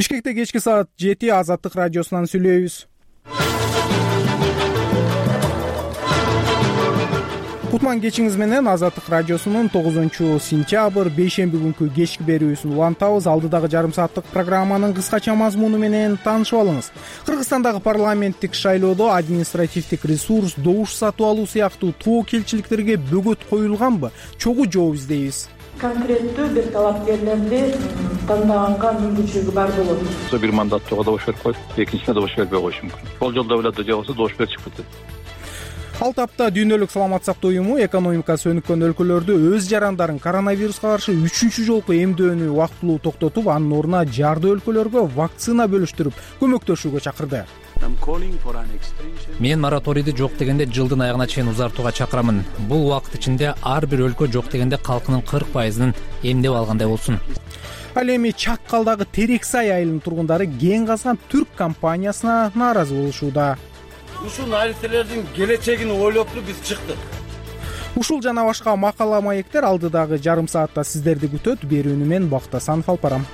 Бишкекте кечки саат 7 Азаттык радиосунан сүйлөйбүз. Кутман кечиңиз менен Азаттык радиосунун 9-сентябрь бейшемби күнкү кечки берүүсүн улантабыз. Алдыдагы жарым сааттык программанын кыскача мазмуну менен таанышып алыңыз. Кыргызстандагы парламенттик шайлоодо административдик ресурс, добуш сатып алуу сыяктуу тобокелчиликтерге бөгөт коюлганбы? Чогуу жооп издейбиз. Конкреттүү бир талапкерлерди тандаганга мүмкүнчүлүгү бар болот. Бир мандаттууга добуш берип коюп, экинчисине добуш бербей коюшу мүмкүн. Бул жолдо билет, же болбосо добуш берип чыгып кетет. Ал тапта Дүйнөлүк саламаттык сактоо уюму экономикасы өнүккөн өлкөлөрдө өз жарандарын коронавируска каршы 3-чү жолку эмдөөнү убактылуу токтотуп, анын ордуна жарды өлкөлөргө вакцина бөлүштүрүп көмөктөшүүгө чакырды. Мен мораторийди жок дегенде жылдын аягына чейин узартууга чакырамын. Бул убакыт ичинде ар бир өлкө жок дегенде калкынын 40%-ын эмдеп алгандай болсун. Ал эми Чаккалдагы Терексай айылынын тургундары кен казган түрк компаниясына нааразы болушууда. Ушул нариселердин келечегин ойлопту биз чыктык. Ушул жана башка макала маектер алдыдагы жарым саатта сиздерди күтөт. Берүүнү мен Бактасан алып барам.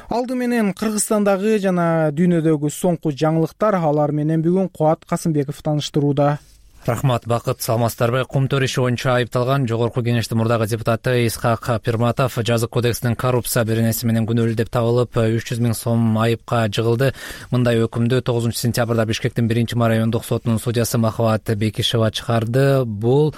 Алды менен Кыргызстандагы жана дүйнөдөгү соңку жаңылыктар, алар менен бүгүн Кубат Касымбеков тааныштырууда. Рахмат, Бакыт, саламатсыздарбы? Кумтөр иши боюнча айыпталган Жогорку Кеңештин мурдагы депутаты Исхак Пирматов жазык кодексинин коррупция беренеси менен күнөөлүү деп табылып 300 000 сом айыпка жыгылды. Мындай өкүмдү 9-сентябрда Бишкектин 1-ма райондук сотунун судьясы Махабат Бекишева чыгарды. Бул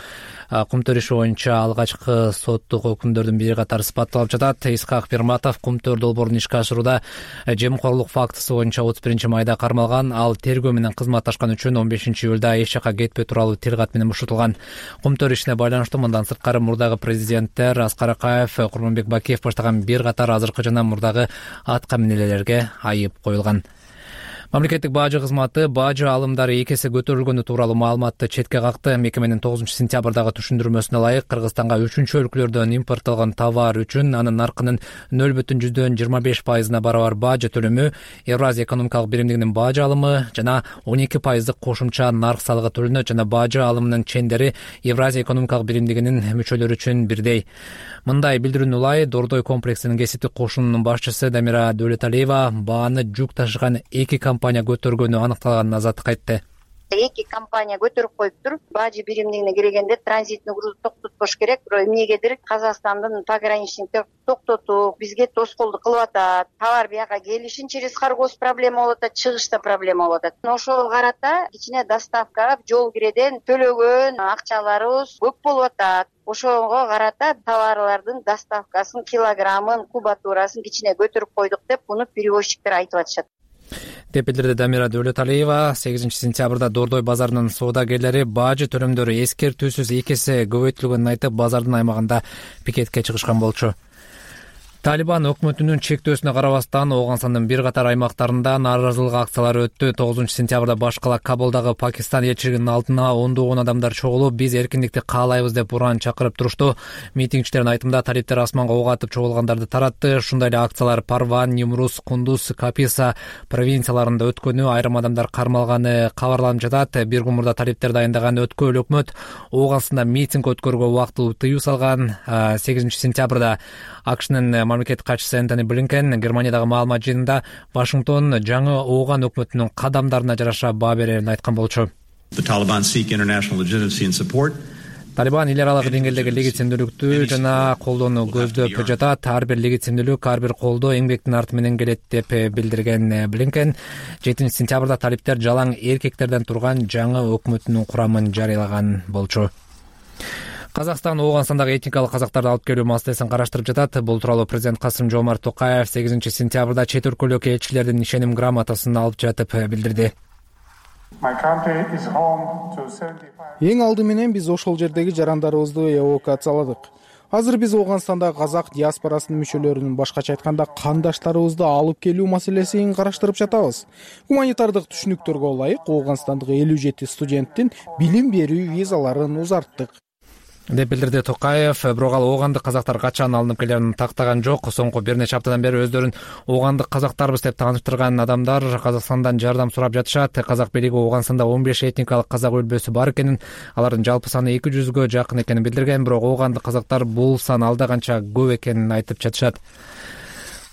Кумтөр иши боюнча алгачкы соттук өкүмдөрдүн бири катары сыпатталып жатат. Исхак Пирматов Кумтөр долбоорун ишке ашырууда жемкорлук фактысы боюнча 31-майда кармалган. Ал тергөө менен кызматташкан үчүн 15-июлда эч жака кетпей туралуу тилгат менен бошотулган. Кумтөр ишине байланыштуу мындан сырткары мурдагы президенттер Аскар Акаев, Курманбек Бакиев баштаган бир катар азыркы жана мурдагы атка минелерге айып коюлган. Мамлекеттик бажы кызматы бажы алымдары 2 эсе көтөрүлгөнү тууралуу маалыматты четке какты. Мекеменин 9-сентябрдагы түшүндүрмөсүнө ылайык Кыргызстанга 3-чү өлкөлөрдөн импортталган товар үчүн анын наркынын 0,25%-на барабар бажы төлөмү, Евразия экономикалык биримдигинин бажы алымы жана 12% кошумча нарк салыгы төлөнөт жана бажы алымынын чендери Евразия экономикалык биримдигинин мүчөлөрү үчүн бирдей. Мындай билдирүүнү улай Дордой комплексинин кесиптик кошунунун башчысы Дамира Дөлөталиева бааны жүк ташыган 2 компания көтөргөнү аныкталганын азаттыкка айтты. 2 компания көтөрүп коюптур. Бажы биримдигине келгенде транзитный груз токтотпош керек. Бирок эмнегедир Казакстандын пограничниктер токтотуп, бизге тоскоолдук кылып атат. Товар бияка келишин через Харгос проблема болуп атат, чыгышта проблема болуп атат. Ошого карата кичине доставка жол киреден төлөгөн акчаларыбыз көп болуп атат. Ошого карата товарлардын доставкасын, килограммын, кубатурасын кичине көтөрүп койдук деп муну перевозчиктер айтып атышат. Деп билдирди Дамира Дөлөталиева. 8-сентябрда Дордой базарынын соодагерлери бажы төлөмдөрү эскертүүсүз 2 эсе көбөйтүлгөнүн айтып, базардын аймагында пикетке чыгышкан болчу. Талибан өкмөтүнүн чектөөсүнө карабастан Оогансандын бир катар аймактарында нааразылык акциялары өттү. 9-сентябрда баш кала Кабулдагы Пакистан элчилигинин алдына ондогон адамдар чогулуп, биз эркиндикти каалайбыз деп уран чакырып турушту. Митингчилердин айтымында талиптер асманга ок атып чогулгандарды таратты. Ушундай эле акциялар Парван, Немрус, Кундуз, Каписа провинцияларында өткөнү, айрым адамдар кармалганы кабарланып жатат. Бир күн мурда талиптер дайындаган өткөл өкмөт Оогансанда митинг өткөрүүгө убактылуу тыюу салган. 8-сентябрда АКШнын мамлекеттик катчысы Энтони Блинкен Германиядагы маалымат жыйынында Вашингтон жаңы Ооган өкмөтүнүн кадамдарына жараша баа берерин айткан болчу. Талибан эл аралык деңгээлдеги легитимдүүлүктү жана колдоону көздөп жатат. Ар бир легитимдүүлүк, ар бир колдоо эмгектин арты менен келет деп билдирген Блинкен. 7-сентябрда талиптер жалаң эркектерден турган жаңы өкмөтүнүн курамын жарыялаган болчу. Казакстан Оогансандагы этникалык казактарды алып келүү маселесин караштырып жатат. Бул тууралуу президент Касым-Жомарт Токаев 8-сентябрда чет өлкөлүк элчилердин ишеним грамотасын алып жатып билдирди. Эң алды менен биз ошол жердеги жарандарыбызды эвакуацияладык. Азыр биз Оогансандагы казак диаспорасынын мүчөлөрүнүн, башкача айтканда кандаштарыбызды алып келүү маселесин караштырып жатабыз. Гуманитардык түшүнүктөргө ылайык Оогансандагы 57 студенттин билим берүү визаларын узарттык. деп билдирди Токаев. Бирок ал оогандык казактар качан алынып келерин тактаган жок. Соңку бир нече аптадан бери өздөрүн оогандык казактарбыз деп тааныштырган адамдар Казакстандан жардам сурап жатышат. Казак бийлиги Ооганстанда 15 этникалык казак өлбөсү бар экенин, алардын жалпы саны 200гө жакын экенин билдирген. Бирок оогандык казактар бул сан алда канча көп экенин айтып жатышат.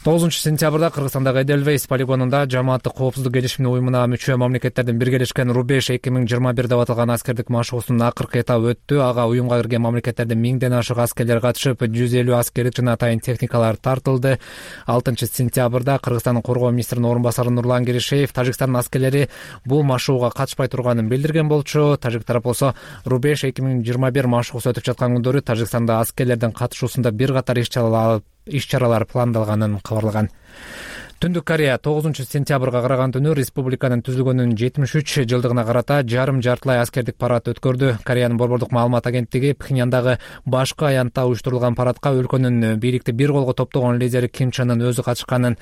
9-сентябрда Кыргызстандагы Эдельвейс полигонунда Жамааттык коопсуздук келишимине уюмуна мүчө мамлекеттердин биргелешкен Рубеж 2021 деп аталган аскердик машыгуусунун акыркы этабы өттү. Ага уюмга кирген мамлекеттердин 1000ден ашык аскерлер катышып, 150 аскерлик жана атайын техникалар тартылды. 6-сентябрда Кыргызстандын коргоо министринин орун басары Нурлан Киришеев Тажикстандын аскерлери бул машыгууга катышпай турганын билдирген болчу. Тажик тарап болсо Рубеж 2021 машыгуусу өтүп жаткан күндөрү Тажикстанда аскерлердин катышуусунда бир катар иш-чаралар пландалаганын кабарлаган. Түндүк Корея 9-сентябрга караган түнү республиканын түзүлгөнүнүн 73 жылдыгына карата жарым-жартылай аскердик парад өткөрдү. Кореянын борбордук маалымат агенттиги Пхеньяндагы башкы аянтта уюштурулган парадка өлкөнүн бийликти бир колго топтогон лидери Ким Чен Ын өзү катышканын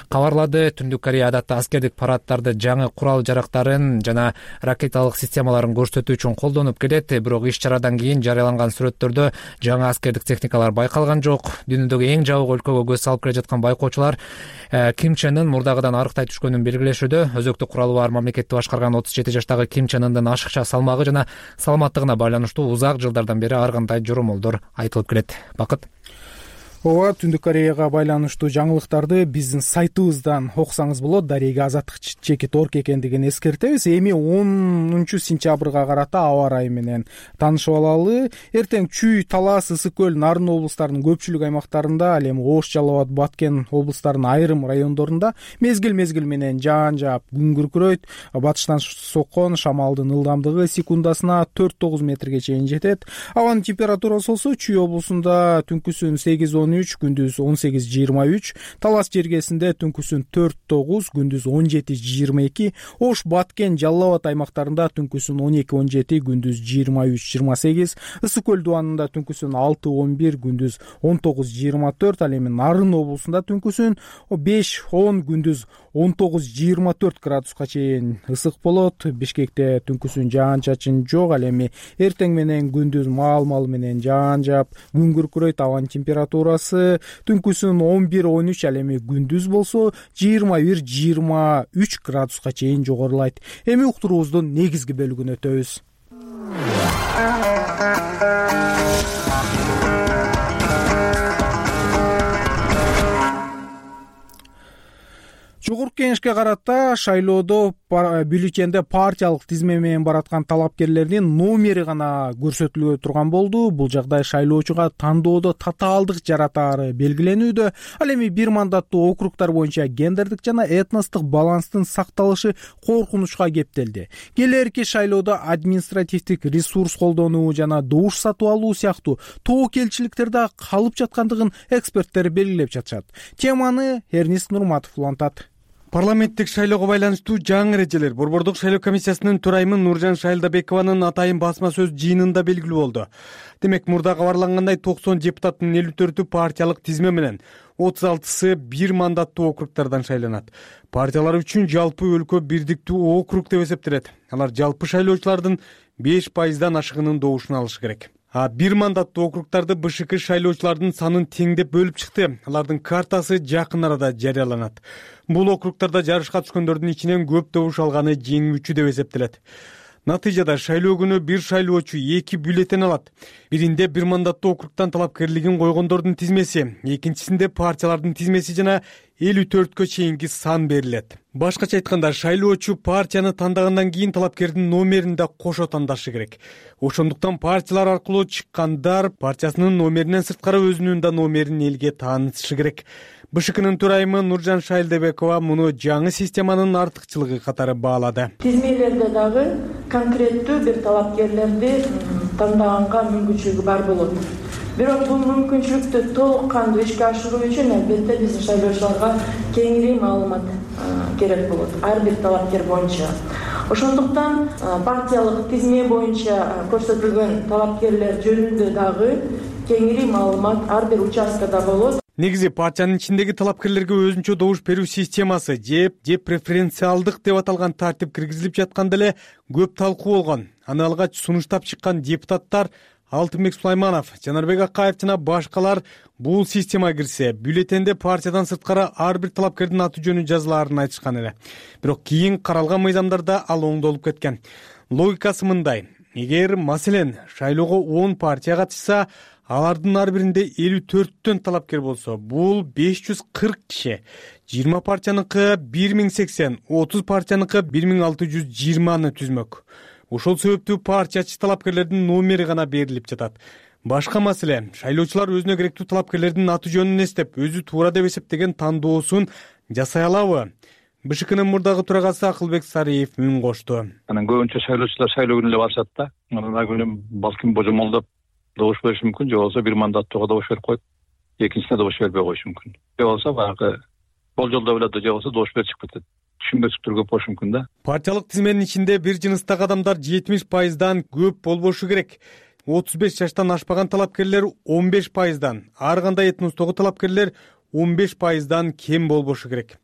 кабарлады. Түндүк Корея адатта аскердик парадтарды жаңы курал жарактарын жана ракеталык системаларын көрсөтүү үчүн колдонуп келет. Бирок иш-чарадан кийин жарыяланган сүрөттөрдө жаңы аскердик техникалар байкалган жок. Дүйнөдөгү эң жабык өлкөгө көз салып келе жаткан байкоочулар Ким Чен Ын мурдагыдан арыктай түшкөнүн белгилешүүдө. Өзөктүк куралы бар мамлекетти башкарган 37 жаштагы Ким Чен Ындын ашыкча салмагы жана саламаттыгына байланыштуу узак жылдардан бери ар кандай жоромолдор айтылып келет. Бакыт. Ооба, Түндүк Кореяга байланыштуу жаңылыктарды биздин сайтыбыздан окусаңыз болот. Дарега Азаттык чекит орг экендигин эскертебиз. Эми 10-сентябрга карата аба ырайы менен таанышып алалы. Эртең Чүй, Талас, Ысык көл, Нарын облустарынын көпчүлүк аймактарында, ал эми Ош, Жалал Абад, Баткен облустарынын айрым райондорунда мезгил менен жаан жаап, күн күркүрөйт. Батыштан соккон шамалдын ылдамдыгы секундасына 4-9 метрге чейин жетет. Абанын температурасы болсо Чүй облусунда түнкүсүн 8-13, күндүз 18-23, Талас жергесинде түнкүсүн 4-9, күндүз 17-22, Ош, Баткен, Жалал Абад аймактарында түнкүсүн 12-17, күндүз 23-28, Ысык көл дубанында түнкүсүн 6-11, күндүз 19-24, ал эми Нарын облусунда түнкүсүн 5-10, күндүз 19-24 градуска чейин ысык болот. Бишкекте түнкүсүн жаан чачын жок, ал эми эртең менен күндүз маал менен жаан жаап, күн күркүрөйт. Абанын температурасы түнкүсүн 11-13, ал эми күндүз болсо 21-23 градуска чейин жогорулайт. Эми уктуруубуздун негизги бөлүгүнө өтөбүз. Жогорку Кеңешке карата шайлоодо бюллетенде партиялык тизме менен бараткан талапкерлердин номери гана көрсөтүлө турган болду. Бул жагдай шайлоочуга тандоодо татаалдык жаратаары белгиленүүдө. Ал эми бир мандаттуу округдар боюнча гендердик жана этностук баланстын сакталышы коркунучка кептелди. Келээрки шайлоодо административдик ресурс колдонуу жана добуш сатып алуу сыяктуу тобокелчиликтер да калып жаткандыгын эксперттер белгилеп жатышат. Теманы Эрнест Нурматов улантат. Парламенттик шайлоого байланыштуу жаңы эрежелер Борбордук шайлоо комиссиясынын төрайымы Нуржан Шайлдабекованын атайын басма сөз жыйынында белгилүү болду. Демек, мурда кабарлангандай 90 депутаттын 54-ü партиялык тизме менен, 36-сы бир мандаттуу округдардан шайланат. Партиялар үчүн жалпы өлкө бирдиктүү округ деп эсептелет. Алар жалпы шайлоочулардын 5%-дан ашыгынын добушун алышы керек. Бир мандаттуу округдарды БШК шайлоочулардын санын теңдеп бөлүп чыкты. Алардын картасы жакын арада жарыяланат. Бул округдарда жарышка түшкөндөрдүн ичинен көп добуш алганы жеңүүчү деп эсептелет. Натыйжада шайлоо күнү бир шайлоочу 2 бюллетен алат. Биринде бир мандаттуу округдан талапкерлигин койгондордун тизмеси, экинчисинде партиялардын тизмеси жана 54-кө чейинки сан берилет. Башкача айтканда, шайлоочу партияны тандагандан кийин талапкердин номерин да кошо тандашы керек. Ошондуктан партиялар аркылуу чыккандар партиясынын номеринен сырткары өзүнүн да номерин элге таанытышы керек. БШКнын төрайымы Нуржан Шайлдабекова муну жаңы системанын артыкчылыгы катары баалады. Тизмелерде дагы конкреттүү бир талапкерлерди тандаганга мүмкүнчүлүгү бар болот. Бирок бул мүмкүнчүлүктү толук кандуу ишке ашыруу үчүн албетте биздин шайлоочуларга кеңири маалымат керек болот, ар бир талапкер боюнча. Ошондуктан партиялык тизме боюнча көрсөтүлгөн талапкерлер жөнүндө дагы кеңири маалымат ар бир участкада болот. Негизи партиянын ичиндеги талапкерлерге өзүнчө добуш берүү системасы же преференциалдык деп аталган тартип киргизилип жатканда эле көп талкуу болгон. Аны алгач сунуштап чыккан депутаттар Алтынбек Сулайманов, Жанарбек Акаев жана башкалар бул системага кирсе, бюллетенде партиядан сырткары ар бир талапкердин аты жөнү жазылаарын айтышкан эле. Бирок кийин каралган мыйзамдарда ал оңдолуп кеткен. Логикасы мындай: эгер маселен шайлоого 10 партия катышса, алардын ар биринде 54төн талапкер болсо, бул 540 киши. 20 партияныкы 1080, 30 партияныкы 1620 түзмөк. Ошол себептүү партиячы талапкерлердин номери гана берилип жатат. Башка маселе, шайлоочулар өзүнө керектүү талапкерлердин аты жөнүн эстеп, өзү туура деп эсептеген тандоосун жасай алабы? БШКнын мурдагы төрагасы Акылбек Сариев мөн кошту. Анан көбүнчө шайлоочулар шайлоо күнү эле барышат да. Анан ал күнү балким божомолдоп добуш бериши мүмкүн, же болбосо бир мандаттууга добуш берип коюп, экинчисине добуш бербей коюшу мүмкүн. Же болбосо баягы болжолдо билет, же болбосо добуш берип чыгып кетет. Түшүнбөстүктөр көп болушу мүмкүн да. Партиялык тизменин ичинде бир жыныстагы адамдар 70%дан көп болбошу керек. 35 жаштан ашпаган талапкерлер 15%дан, ар кандай этностогу талапкерлер 15%дан кем болбошу керек.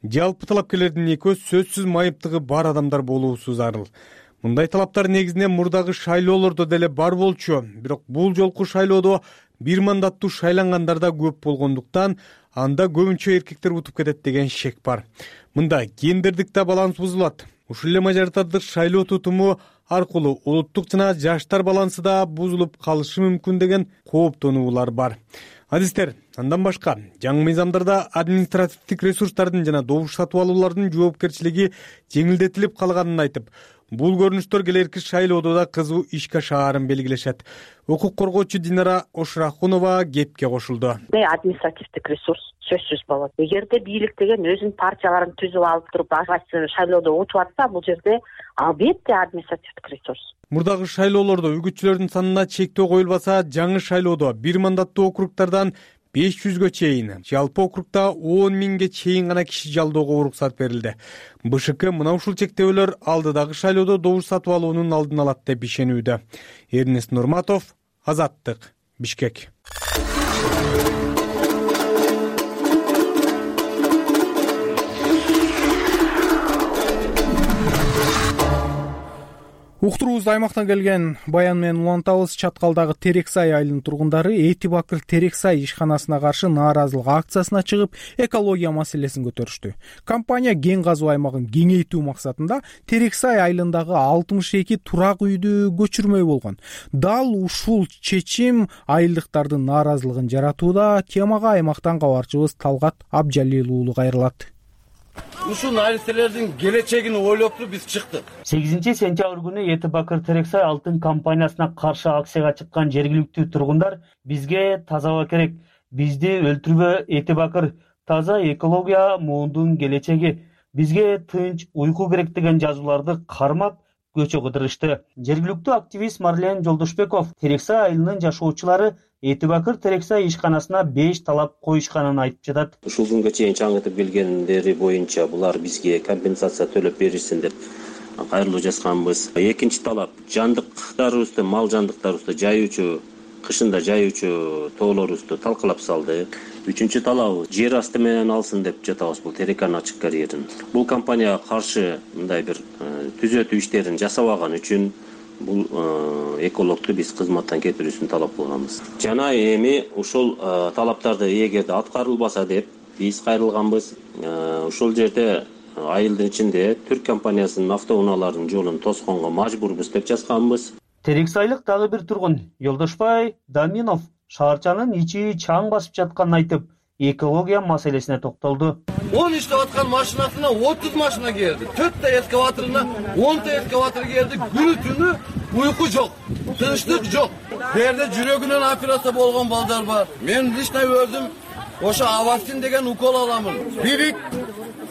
Жалпы талапкерлердин экөө сөзсүз майыптыгы бар адамдар болуусу зарыл. Мындай талаптар негизинен мурдагы шайлоолордо деле бар болчу, бирок бул жолку шайлоодо бир мандаттуу шайлангандар да көп болгондуктан анда көбүнчө эркектер утуп кетет деген шек бар. Мында гендердик да баланс бузулат. Ушул эле мажоритардык шайлоо тутуму аркылуу улуттук жана жаштар балансы да бузулуп калышы мүмкүн деген кооптонуулар бар. Адистер, андан башка жаңы мыйзамдарда административдик ресурстардын жана добуш сатып алуулардын жоопкерчилиги жеңилдетилип калганын айтып, бул көрүнүштөр келерки шайлоодо да кызуу ишке ашаарын белгилешет. Укук коргоочу Динара Ошрахунова кепке кошулду. Административдик ресурс сөзсүз болот. Эгерде бийлик деген өзүнүн партияларын түзүп алып туруп, кайсы шайлоодо утуп атса, бул жерде албетте административдик ресурс. Мурдагы шайлоолордо үгүтчүлөрдүн санына чектөө коюлбаса, жаңы шайлоодо бир мандаттуу округдардан 500гө чейин, жалпы округда 10 миңге чейин гана киши жалдоого уруксат берилди. БШК мына ушул чектөөлөр алдыдагы шайлоодо добуш сатып алуунун алдын алат деп ишенүүдө. Эрнест Нурматов, Азаттык, Бишкек. Уктуруубузду аймактан келген баян менен улантабыз. Чаткалдагы Терексай айылынын тургундары Эти Бакыр Терексай ишканасына каршы нааразылык акциясына чыгып, экология маселесин көтөрүштү. Компания кен казуу аймагын кеңейтүү максатында Терексай айылындагы 62 турак үйдү көчүрмөй болгон. Дал ушул чечим айылдыктардын нааразылыгын жаратууда. Темага аймактан кабарчыбыз Талгат Абжалил уулу кайрылат. Ушул нариселердин келечегин ойлоп туруп биз чыктык. 8-сентябрь күнү Эти Бакыр Терексай алтын компаниясына каршы акцияга чыккан жергиликтүү тургундар бизге таза аба керек, бизди өлтүрбө Эти Бакыр, таза экология муундун келечеги, бизге тынч уйку керек деген жазууларды кармап көчө кыдырышты. Жергиликтүү активист Марлен Жолдошбеков Терексай айылынын жашоочулары Эти Бакыр Терексай ишканасына 5 талап коюшканын айтып жатат. Ушул күнгө чейин чаңытып келгендери боюнча булар бизге компенсация төлөп беришсин деп кайрылуу жазганбыз. Экинчи талап жандыктарыбызды, мал жандыктарыбызды жайуучу, кышында жайуучу тоолорубузду талкалап салды. Үчүнчү талабы жер асты менен алсын деп жатабыз бул Тереканын ачык карьерин. Бул компанияга каршы мындай бир түзөтүү иштерин жасабаган үчүн бул экологду биз кызматтан кетирүүсүн талап кылганбыз. Жана эми ушул талаптарды эгерде аткарылбаса деп биз кайрылганбыз. Ушул жерде айылдын ичинде түрк компаниясынын автоунааларынын жолун тосконго мажбурбуз деп жазганбыз. Терексайлык дагы бир тургун Жолдошбай Даминов шаарчанын ичи чаң басып жатканын айтып, экология маселесине токтолду. 10 иштеп аткан машинасына 30 машина келди. 4 та эскаваторуна 10 та эскаватор келди. Күнү түнү уйку жок, тынчтык жок. Бу жерде жүрөгүнөн операция болгон балдар бар. Мен лично өзүм ошо Авастин деген укол аламын. Бирик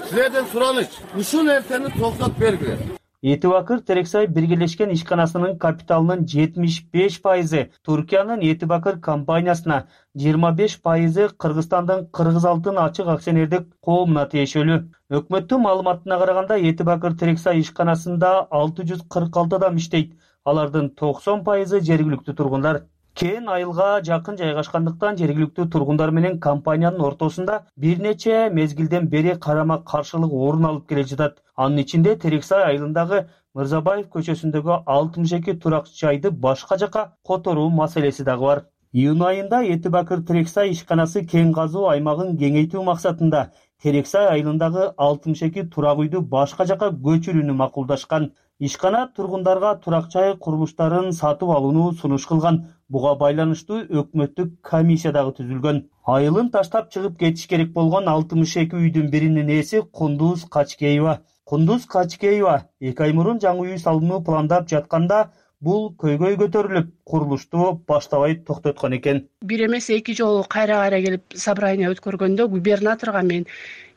силерден сураныч. Ушул нерсени токтотуп бергиле. Эти Бакыр Терексай биргелешкен ишканасынын капиталынын 75% Туркиянын Эти Бакыр компаниясына, 25% Кыргызстандын Кыргыз алтын ачык акционердик коомуна тиешелүү. Өкмөттүн маалыматына караганда Эти Бакыр Терексай ишканасында 646 адам иштейт. Алардын 90% жергиликтүү тургундар. Кен айылга жакын жайгашкандыктан жергиликтүү тургундар менен компаниянын ортосунда бир нече мезгилден бери карама каршылык орун алып келе жатат. Анын ичинде Терексай айылындагы Мырзабаев көчөсүндөгү 62 турак жайды башка жака которуу маселеси дагы бар. Июнь айында Этибакыр Терексай ишканасы кең казуу аймагын кеңейтүү максатында Терексай айылындагы 62 турак үйдү башка жака көчүрүүнү макулдашкан. Ишкана тургундарга турак жай курулуштарын сатып алууну сунуш кылган. Буга байланыштуу өкмөттүк комиссия дагы түзүлгөн. Айылын таштап чыгып кетиш керек болгон 62 үйдүн биринин ээси Кундуз Качкеева. Кундуз Качкеева 2 ай мурун жаңы үй салууну пландап жатканда бул көйгөй көтөрүлүп, курулушту баштабай токтоткон экен. Бир эмес 2 жолу кайра келип собрание өткөргөндө губернаторго мен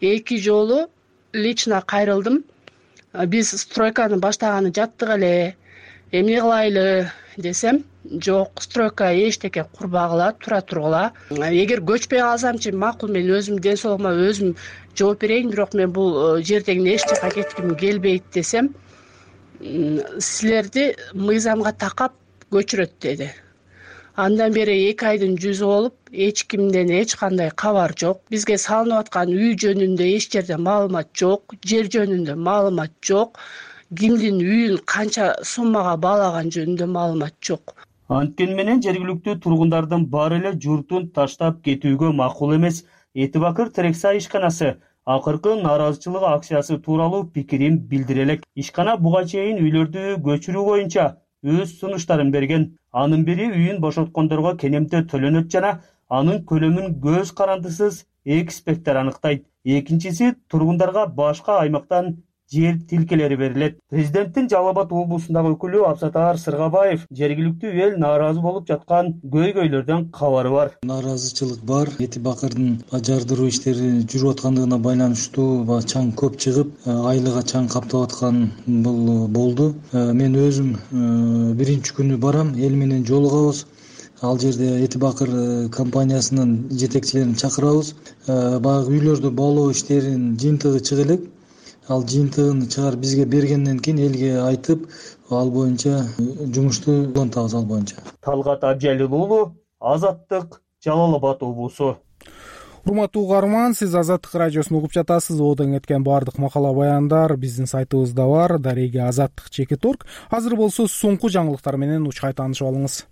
2 жолу лично кайрылдым. Биз стройканы баштаганы жаттык эле, эмне кылайлы десем, жок, стройка эчтеке курбагыла, тура тургула. Эгер көчпөй калсамчы макул, мен өзүм ден соолугума өзүм жооп берейин, бирок мен бул жерден эч жака кетким келбейт десем, силерди мыйзамга такап көчүрөт деди. Андан бери 2 айдын жүзү болуп, эч кимден эч кандай кабар жок. Бизге салынып аткан үй жөнүндө эч жерде маалымат жок, жер жөнүндө маалымат жок, кимдин үйүн канча суммага баалаган жөнүндө маалымат жок. Анткени менен жергиликтүү тургундардын баары эле журтун таштап кетүүгө макул эмес. Этибакыр Терексай ишканасы акыркы нааразычылык акциясы тууралуу пикирин билдире элек. Ишкана буга чейин үйлөрдү көчүрүү боюнча өз сунуштарын берген. Анын бири үйүн бошоткондорго кенемте төлөнөт жана анын көлөмүн көз карандысыз эксперттер аныктайт. Экинчиси тургундарга башка аймактан жер тилкелери берилет. Президенттин Жалал Абад облусундагы өкүлү Абсатар Сыргабаев жергиликтүү эл нааразы болуп жаткан көйгөйлөрдөн кабары бар. Нааразычылык бар. Этибакырдын жардыруу иштери жүрүп аткандыгына байланыштуу чаң көп чыгып, айлыга чаң каптап аткан бул болду. Мен өзүм биринчи күнү барам, эл менен жолугабыз. Ал жерде Этибакыр компаниясынын жетекчилерин чакырабыз. Баягы үйлөрдү баалоо иштеринин жыйынтыгы чыга элек. Ал жыйынтыгын чыгарып бизге бергенден кийин элге айтып, ал боюнча жумушту улантабыз ал боюнча. Талгат Абжалил уулу, Азаттык, Жалал Абад облусу. Урматтуу угарман, сиз Азаттык радиосун угуп жатасыз. Одон кеткен баардык макала баяндар биздин сайтыбызда бар. Дареги Азаттык.org. Азыр болсо соңку жаңылыктар менен учкай таанышып алыңыз.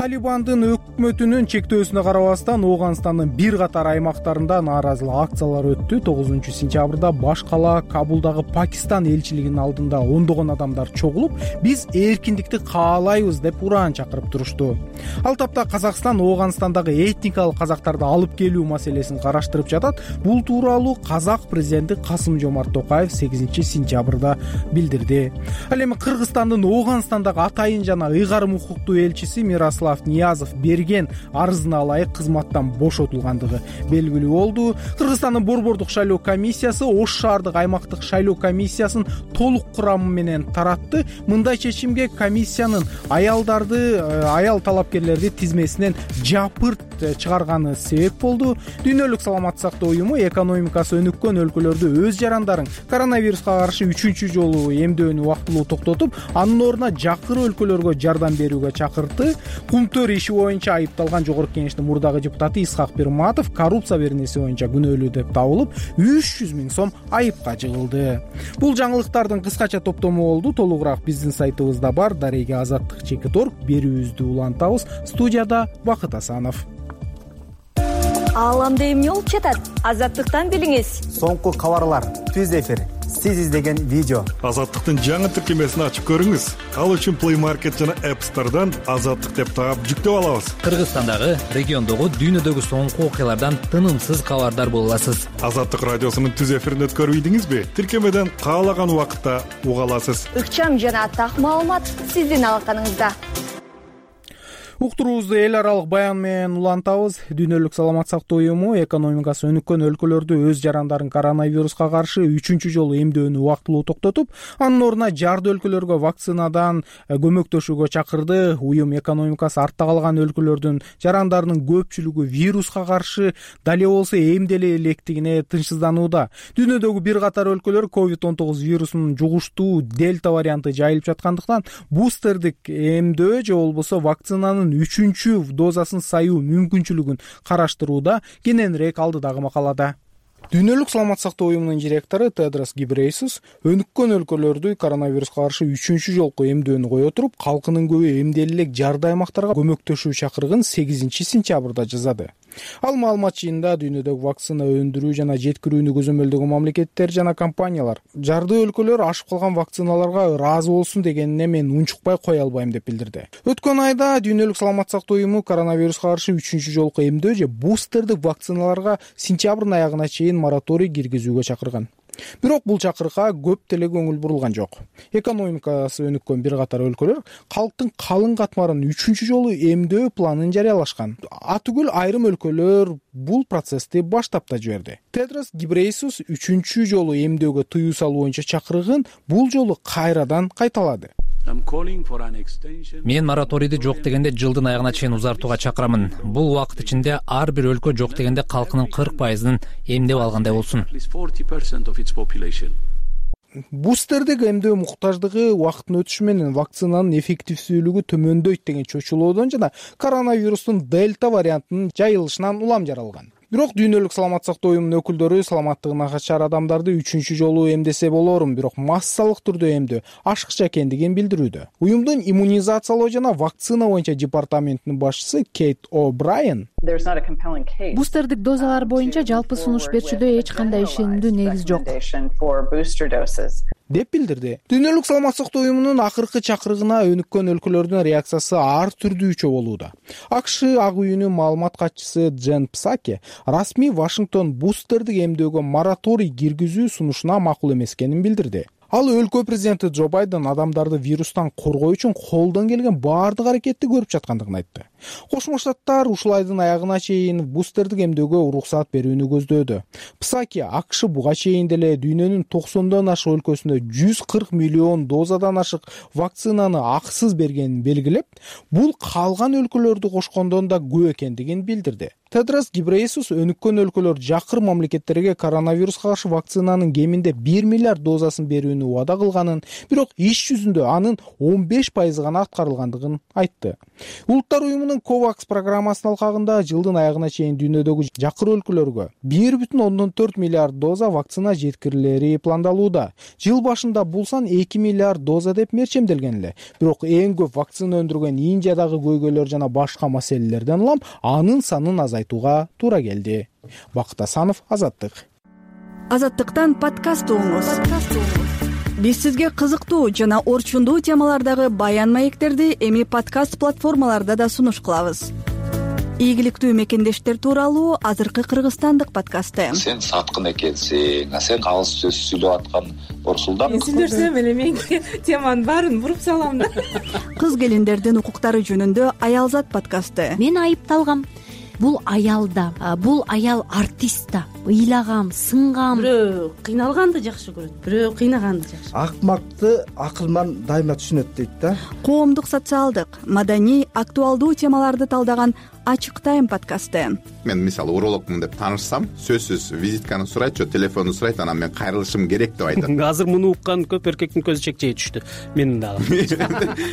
Талибандын өкмөтүнүн чектөөсүнө карабастан Ооганстандын бир катар аймактарында нааразылык акциялары өттү. 9-сентябрда баш кала Кабулдагы Пакистан элчилигинин алдында ондогон адамдар чогулуп, биз эркиндикти каалайбыз деп ураан чакырып турушту. Ал тапта Казакстан Ооганстандагы этникалык казактарды алып келүү маселесин караштырып жатат. Бул тууралуу Казак президенти Касым-Жомарт Токаев 8-сентябрда билдирди. Ал эми Кыргызстандын Ооганстандагы атайын жана ыйгарым укуктуу элчиси Мирослав Ниязов берген арызына ылайык кызматтан бошотулгандыгы белгилүү болду. Кыргызстандын Борбордук шайлоо комиссиясы Ош шаардык аймактык шайлоо комиссиясын толук курамы менен таратты. Мындай чечимге комиссиянын аял талапкерлерди тизмесинен жапырт чыгарганы себеп болду. Дүйнөлүк саламаттык сактоо уюму экономикасы өнүккөн өлкөлөрдө өз жарандарын коронавируска каршы 3-чү жолу эмдөөнү убактылуу токтотуп, анын ордуна жакыр өлкөлөргө жардам берүүгө чакыртты. Кумтөр иши боюнча айыпталган Жогорку Кеңештин мурдагы депутаты Исхак Пирматов коррупция беренеси боюнча күнөөлүү деп табылып, 300 000 сом айыпка жыгылды. Бул жаңылыктардын кыскача топтому болду. Толугураак биздин сайтыбызда бар. Дареги Азаттык.org. Берүүбүздү улантабыз. Студияда Бакыт Асанов. Ааламда эмне болуп жатат? Азаттыктан билиңиз. Соңку кабарлар, түз эфир, сиз издеген видео. Азаттыктын жаңы тиркемесин ачып көрүңүз. Ал үчүн Play Market жана App Store'дан Азаттык деп таап жүктөп алабыз. Кыргызстандагы, региондогу, дүйнөдөгү соңку окуялардан тынымсыз кабардар боло аласыз. Азаттык радиосунун түз эфирин өткөрбөйдүңүзбү? Тиркемеден каалаган убакытта уга аласыз. Ыкчам жана так маалымат сиздин алаканыңызда. Уктуруубузду эл аралык баян менен улантабыз. Дүйнөлүк саламаттык сактоо уюму экономикасы өнүккөн өлкөлөрдө өз жарандарын коронавируска каршы 3-чү жолу эмдөөнү убактылуу токтотуп, анын ордуна жарды өлкөлөргө вакцинадан көмөктөшүүгө чакырды. Уюм экономикасы артта калган өлкөлөрдүн жарандарынын көпчүлүгү вируска каршы дале болсо эмделе электигине тынчсызданууда. Дүйнөдөгү бир катар өлкөлөр COVID-19 вирусунун жугуштуу дельта варианты жайылып жаткандыктан бустердик эмдөө же болбосо вакцинанын 3-чү дозасын саюу мүмкүнчүлүгүн караштырууда. Кененирээк алдыдагы макалада. Дүйнөлүк саламат сактоо уюмунун директору Тедрос Гебрейесус өнүккөн өлкөлөрдү коронавируска каршы 3-чү жолку эмдөөнү кое туруп, калкынын көбү эмделе элек жарды аймактарга көмөктөшүү чакырыгын 8-сентябрда жасады. Ал маалымат жыйынында дүйнөдөгү вакцина өндүрүү жана жеткирүүнү көзөмөлдөгөн мамлекеттер жана компаниялар жарды өлкөлөр ашып калган вакциналарга ыраазы болсун дегенине мен унчукпай кое албайм деп билдирди. Өткөн айда дүйнөлүк саламат сактоо уюму коронавируска каршы 3-чү жолку эмдөө же бустердик вакциналарга сентябрдын аягына чейин мораторий киргизүүгө чакырган. Бирок бул чакырыкка көп деле көңүл бурулган жок. Экономикасы өнүккөн бир катар өлкөлөр калктын калың катмарын 3-чү жолу эмдөө планын жарыялашкан. Атүгүл айрым өлкөлөр бул процессти баштап да жиберди. Тедрос Гебрейесус 3-чү жолу эмдөөгө тыюу салуу боюнча чакырыгын бул жолу кайрадан кайталады. Мен мораторийди жок дегенде жылдын аягына чейин узартууга чакырамын. Бул убакыт ичинде ар бир өлкө жок дегенде калкынын 40%-ын эмдеп алгандай болсун. Бустердик эмдөө муктаждыгы убакыттын өтүшү менен вакцинанын эффективдүүлүгү төмөндөйт деген чочулоодон жана коронавирустун дельта вариантынын жайылышынан улам жаралган. Бирок дүйнөлүк саламат сактоо уюмунун өкүлдөрү саламаттыгы начар адамдарды 3-чү жолу эмдесе болорун, бирок массалык түрдө эмдөө ашыкча экендигин билдирүүдө. Уюмдун иммунизациялоо жана вакцина боюнча департаментинин башчысы Кейт О'Брайен бустердик дозалар боюнча жалпы сунуш берүүчүдө эч кандай ишенимдүү негиз жок деп билдирди. Дүйнөлүк саламат сактоо уюмунун акыркы чакырыгына өнүккөн өлкөлөрдүн реакциясы ар түрдүүчө болууда. АКШ ак үйүнүн маалымат катчысы Джен Псаки расмий Вашингтон бустердик эмдөөгө мораторий киргизүү сунушуна макул эмес экенин билдирди. Ал өлкө президенти Джо Байден адамдарды вирустан коргоо үчүн колдон келген баардык аракетти көрүп жаткандыгын айтты. Кошмо Штаттар ушул айдын аягына чейин бустердик эмдөөгө уруксаат берүүнү көздөөдө. Псаки АКШ буга чейин деле дүйнөнүн 90дан ашык өлкөсүндө 140 миллион дозадан ашык вакцинаны акысыз бергенин белгилеп, бул калган өлкөлөрдү кошкондон да көп экендигин билдирди. Тедрос Гебрейесус өнүккөн өлкөлөр жакыр мамлекеттерге коронавируска каршы вакцинанын кеминде 1 миллиард дозасын берүүнү убада кылганын, бирок иш жүзүндө анын 15% гана аткарылгандыгын айтты. Улуттар уюмунун COVAX программасынын алкагында жылдын аягына чейин дүйнөдөгү жакыр өлкөлөргө 1,4 миллиард доза вакцина жеткирилери пландалууда. Жыл башында бул сан 2 миллиард доза деп мерчемделген эле. Бирок эң көп вакцина өндүргөн Индиядагы көйгөйлөр жана башка маселелерден улам анын санын азайтууга туура келди. Бакыт Асанов, Азаттык. Азаттыктан подкаст угуңуз. Биз сизге кызыктуу жана орчундуу темалардагы баян маектерди эми подкаст платформаларда да сунуш кылабыз. Ийгиликтүү мекендештер тууралуу азыркы кыргызстандык подкасты. Сен саткын экенсиң, сен калыс сөз сүйлөп аткан Орсулдан. Мен сүйлөсөм эле мен теманын баарын буруп салам да. Кыз келиндердин укуктары жөнүндө Аялзат подкасты. Мен айыпталгам. Бул аял да, бул аял артист да. Ыйлагам, сынгам. Бирөө кыйналганды жакшы көрөт, бирөө кыйнаганды жакшы. Акмакты акылман дайыма түшүнөт дейт да. Коомдук, социалдык, маданий, актуалдуу темаларды талдаган Ачык тайм подкасты. Мен мисалы урологмун деп таанышсам, сөзсүз визитканы сурайт, же телефонду сурайт, анан мен кайрылышым керек деп айтат. Азыр муну уккан көп эркектин көзү чекчейе түштү. Менин дагы.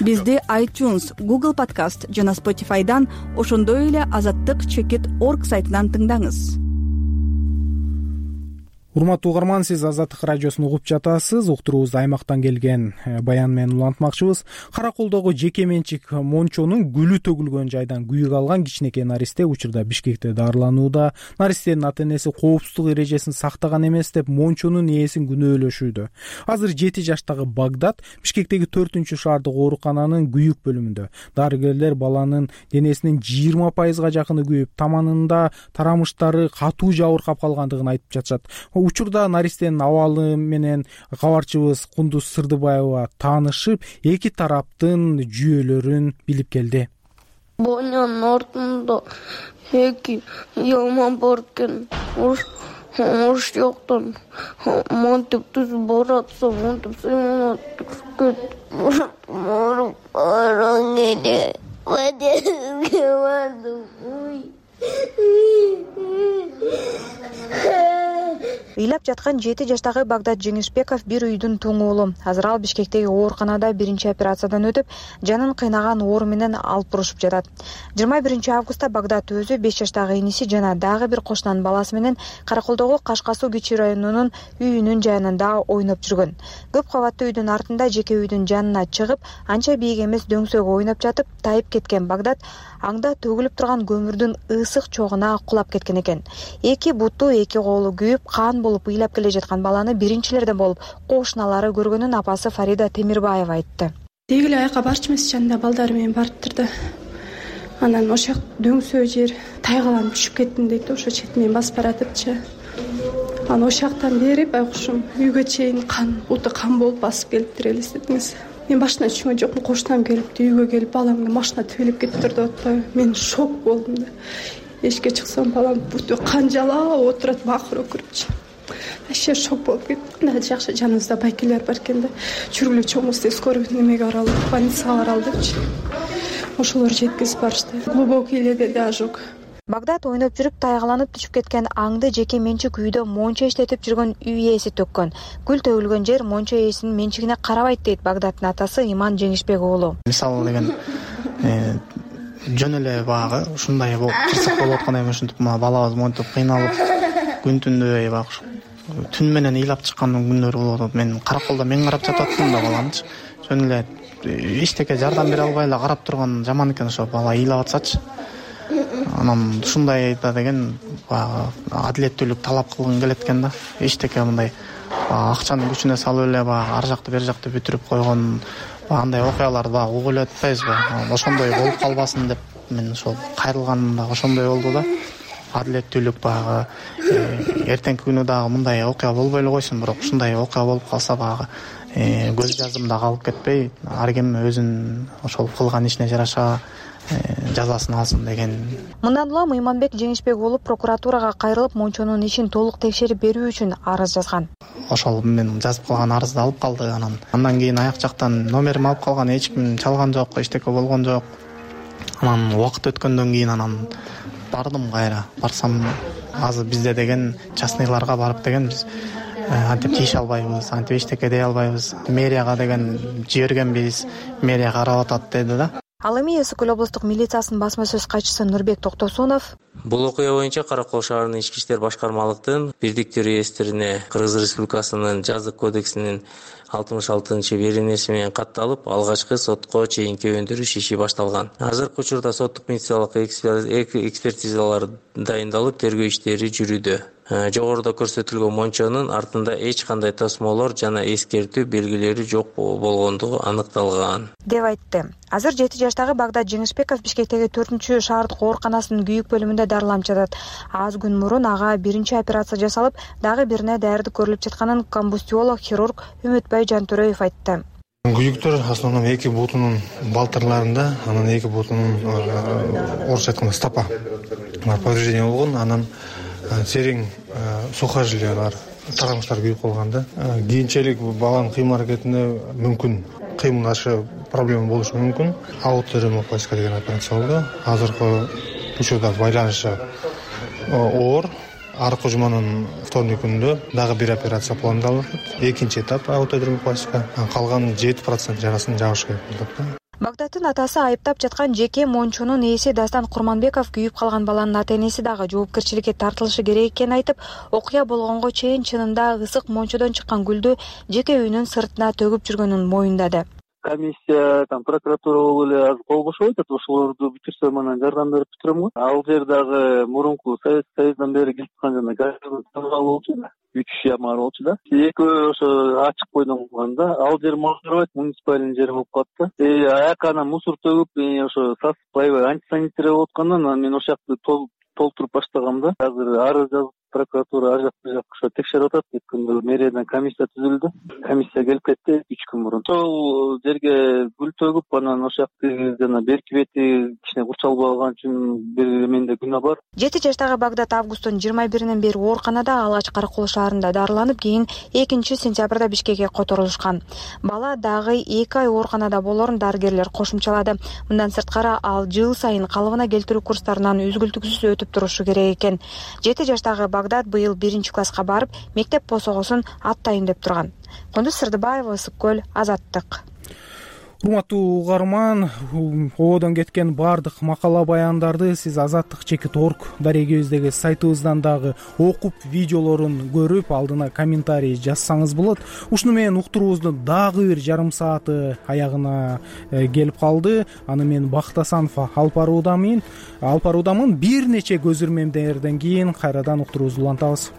Бизди iTunes, Google Podcast жана Spotify'дан, ошондой эле azattik.org сайтынан тыңдаңыз. Урматтуу угарман, сиз Азаттык радиосун угуп жатасыз. Уктуруубузду аймактан келген баян менен улантмакчыбыз. Караколдогу жеке менчик мончонун гүлү төгүлгөн жайдан күйүк алган кичинекей наристе учурда Бишкекте дарыланууда. Наристенин ата-энеси коопсуздук эрежесин сактаган эмес деп мончонун ээсин күнөөлөшүүдө. Азыр 7 жаштагы Багдат Бишкектеги 4-шаардык оорукананын күйүк бөлүмүндө. Дарыгерлер баланын денесинин 20%га жакыны күйүп, таманында тарамыштары катуу жабыркап калгандыгын айтып жатышат. Учурда наристенин абалы менен кабарчыбыз Кундуз Сырдыбаева таанышып, эки тараптын жүйөлөрүн билип келди. Боянын ортунда эки ялма бар экен. Уруш жоктон монтип түз баратса, монтип сыймат кет. Мору бараң эле. Бадезге бардым. ыйлап жаткан 7 жаштагы Багдат Жеңишбеков бир үйдүн туң уулу. Азыр ал Бишкектеги ооруканада биринчи операциядан өтүп, жанын кыйнаган оору менен алып турушуп жатат. 21 августта Багдат өзү 5 жаштагы иниси жана дагы бир кошунанын баласы менен Караколдогу Кашка Суу Кичи районунун үйүнүн жанында ойноп жүргөн. Көп кабаттуу үйдүн артында жеке үйдүн жанына чыгып, анча бийик эмес дөңсөөгө ойноп жатып, тайып кеткен Багдат аңда төгүлүп турган көмүрдүн ысык чогуна кулап кеткен экен. Эки буту, эки колу күйүп, кан болуп ыйлап келе жаткан баланы биринчилерден болуп кошуналары көргөнүн апасы Фарида Темирбаева айтты. Деги эле аяка барчу эмес, жанында балдары менен барыптыр да. Анан ошол дөңсөө жер тайгаланып түшүп кеттим дейт, ошо четинен басып баратыпчы. Анан ошол жактан бери байкушум үйгө чейин кан, буту кан болуп басып келиптир, элестетиңиз. Мен башына түшүнгөн жокмун, кошунам келипти, үйгө келип баламды машина төгүлүп кетиптир деп атпайбы. Мен шок болдум да. Эшикке чыксам балам буту кан жалап отурат, бакыр өкүрүпчү. Вообще шок болуп кеттим. Да жакшы жаныбызда байкелер бар экен да. Жүргүлө чоңуз тез көрүп немеге баралы, больницага баралдычы. Ошолор жеткизип барышты. Глубокий эле да ожог. Багдат ойноп жүрүп тайгаланып түшүп кеткен аңды жеке менчик үйдө монча иштетип жүргөн үй ээси төккөн. Гүл төгүлгөн жер монча ээсинин менчигине карабайт дейт Багдаттын атасы Иман Жеңишбек уулу. Мисалы деген жөн эле багы ушундай кырсык болуп аткандай ушинтип балабыз монтип кыйналып күн түндө багы түн менен ыйлап чыккан күндөр болуп атат. Мен Караколдо мен карап жататтым да баламчы. Жөн эле эчтеке жардам бере албай эле карап турган жаман экен, ошо бала ыйлап атсачы. Анан ушундай да деген адилеттүүлүк талап кылгым келет экен да. Эчтеке мындай акчанын күчүнө салып эле ар жакты бер жакты бүтүрүп койгон андай окуяларды угуп эле атпайбызбы? Ошондой болуп калбасын деп мен ошол кайрылганым да ошондой болду да. Адилеттүүлүк эртеңки күнү дагы мындай окуя болбой эле койсун, бирок ушундай окуя болуп калса көз жазымда калып кетпей, ар ким өзүнүн ошол кылган ишине жараша жазасын алсын деген. Мындан улам Иманбек Жеңишбек уулу прокуратурага кайрылып, мончонун ишин толук текшерип берүү үчүн арыз жазган. Ошол мен жазып калган арызды алып калды. Андан кийин аяк жактан номерим алып калган, эч ким чалган жок, эчтеке болгон жок. Анан убакыт өткөндөн кийин бардым кайра. Барсам азыр бизде деген частныйларга барып деген биз антип тийише албайбыз, антип эчтеке дей албайбыз. Мэрияга деген жибергенбиз, мэрия карап атат деди да. Ал эми Эс Үкүл облустук милициясынын басма сөз катчысы Нурбек Токтосунов бул окуя боюнча Каракол шаарынын ички иштер башкармалыктын бирдиктүү реестрине Кыргыз Республикасынын жазык кодексинин 66-беренеси менен катталып, алгачкы сотко чейинки өндүрүш иши башталган. Азыркы учурда соттук медициналык экспертизалар дайындалып, тергөө иштери жүрүүдө. Жогоруда көрсөтүлгөн мончонун артында эч кандай тосмолор жана эскертүү белгилери жок болгондугу аныкталган деп айтты. Азыр 7 жаштагы Багдат Жеңишбеков Бишкектеги 4-шаардык ооруканасынын күйүк бөлүмүндө дарыланып жатат. Аз күн мурун ага биринчи операция жасалып, дагы бирине даярдык көрүлүп жатканын комбустиолог хирург Үмүтбай Жантөрөев айтты. Күйүктөр основном эки бутунун балтырларында, анан эки бутунун орусча айтканда стопа повреждение болгон, анан терең сухожилия бар, тараңыштар күйүп калган да. Кийинчерээк баланын кыймыл аракетинде мүмкүн кыймылдашы проблема болушу мүмкүн. Ауторемопластика деген операция болду. Азыркы учурда байланышы оор. Аркы жуманын вторник күнүндө дагы бир операция пландалып атат. Экинчи этап ауторемопластика. Калган 7% жарасын жабыш керек болот. Багдаттын атасы айыптап жаткан жеке мончонун ээси Дастан Курманбеков күйүп калган баланын ата-энеси дагы жоопкерчиликке тартылышы керек экенин айтып, окуя болгонго чейин чынында ысык мончодон чыккан гүлдү жеке үйүнүн сыртына төгүп жүргөнүн моюндады. Комиссия, прокуратура болуп эле азыр кол кошуп атат, ошолорду бүтүрсөм анан жардам берип бүтүрөм го. Ал жер дагы мурунку Союздан бери келип аткан жана газдын болчу да. 3 яма болчу да. Экөө ошо ачык бойдон калганда, ал жер мажарбайт, муниципальный жер болуп калды. Аяка анан мусор төгүп, ошо сасып аябай антисанитария болуп аткандан мен ошол жакты толтуруп баштагам да. Азыр арыз жазып прокуратура ар жакка текшерип атат. Өткөндө мэриядан комиссия түзүлдү. Комиссия келип кетти 3 күн мурун. Ошол жерге гүл төгүп, анан ошол жакты жана берки бети кичине курчалып алган үчүн бир менде күнөө бар. 7 жаштагы Багдат августтун 21-инен бери ооруканада, алгач Каракол шаарында дарыланып, кийин 2-сентябрда Бишкекке которулушкан. Бала дагы 2 ай ооруканада болорун дарыгерлер кошумчалады. Мындан сырткары ал жыл сайын калыбына келтирүү курстарынан үзгүлтүксүз өтүп турушу керек экен. 7 жаштагы Багдат быйыл 1-класска барып, мектеп босогосун аттайын деп турган. Кундуз Сырдыбаева, Ысык көл, Азаттык. Урматтуу угарман, ободон кеткен баардык макала баяндарды сиз azattik.org дарегибиздеги сайтыбыздан дагы окуп, видеолорун көрүп, алдына комментарий жазсаңыз болот. Ушуну менен уктуруубуздун дагы бир жарым сааты аягына келип калды. Аны мен Бакыт Асанов алып баруудамын. Бир нече көзүрмемдерден кийин кайрадан уктуруубузду улантабыз.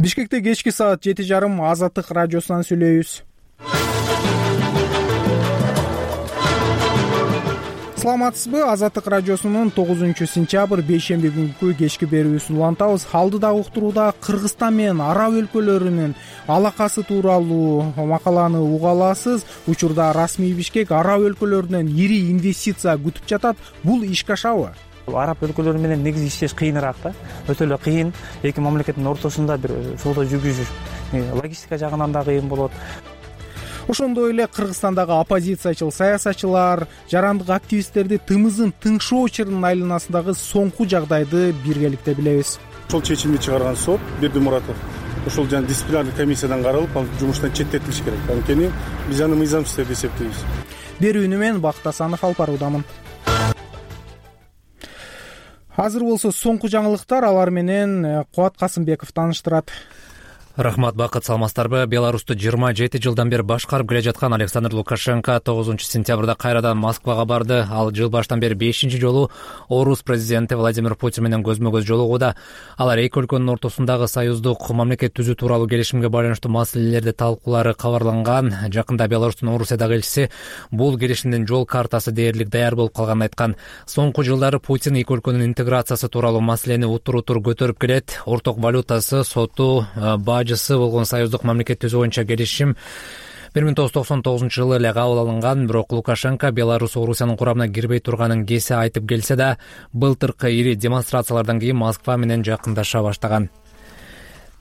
Бишкекте кечки саат 7:30 Азаттык радиосунан сүйлөйбүз. Саламатсызбы? Азаттык радиосунун 9-сентябрь бейшемби күнкү кечки берүүсүн улантабыз. Алдыдагы уктурууда Кыргызстан менен араб өлкөлөрүнүн алакасы тууралуу макаланы уга аласыз. Учурда расмий Бишкек араб өлкөлөрүнөн ири инвестиция күтүп жатат. Бул ишке ашабы? Араб өлкөлөрү менен негизи иштеш кыйыныраак да. Өтө эле кыйын. Эки мамлекеттин ортосунда бир соода жүргүзүш логистика жагынан да кыйын болот. Ошондой эле Кыргызстандагы оппозициячыл саясатчылар, жарандык активисттерди тымызын тыңшоо чырынын айланасындагы соңку жагдайды биргеликте билебиз. Ошол чечимди чыгарган сот Бердимуратов ошол жана дисциплинардык комиссиядан каралып, ал жумуштан четтетилиш керек. Анткени биз аны мыйзамсыз деп эсептейбиз. Берүүнү мен Бакыт Асанов алып баруудамын. Азыр болсо соңку жаңылыктар, алар менен Кубат Касымбеков тааныштырат. Рахмат, Бакыт, саламатсыздарбы? Беларусту 27 жылдан бери башкарып келе жаткан Александр Лукашенко 9-сентябрда кайрадан Москвага барды. Ал жыл баштан бери 5-чи жолу орус президенти Владимир Путин менен көзмө-көз жолугууда. Алар эки өлкөнүн ортосундагы союздук мамлекет түзүү тууралуу келишимге байланыштуу маселелерди талкуулары кабарланган. Жакында Беларустун Орусиядагы элчиси бул келишимдин жол картасы дээрлик даяр болуп калганын айткан. Соңку жылдары Путин эки өлкөнүн интеграциясы тууралуу маселени утур-утур көтөрүп келет. Орток валютасы, соту, бажысы болгон союздук мамлекет түзүү боюнча келишим 1999-жылы эле кабыл алынган. Бирок Лукашенко Беларусь Орусиянын курамына кирбей турганын кесе айтып келсе да, былтыркы ири демонстрациялардан кийин Москва менен жакындаша баштаган.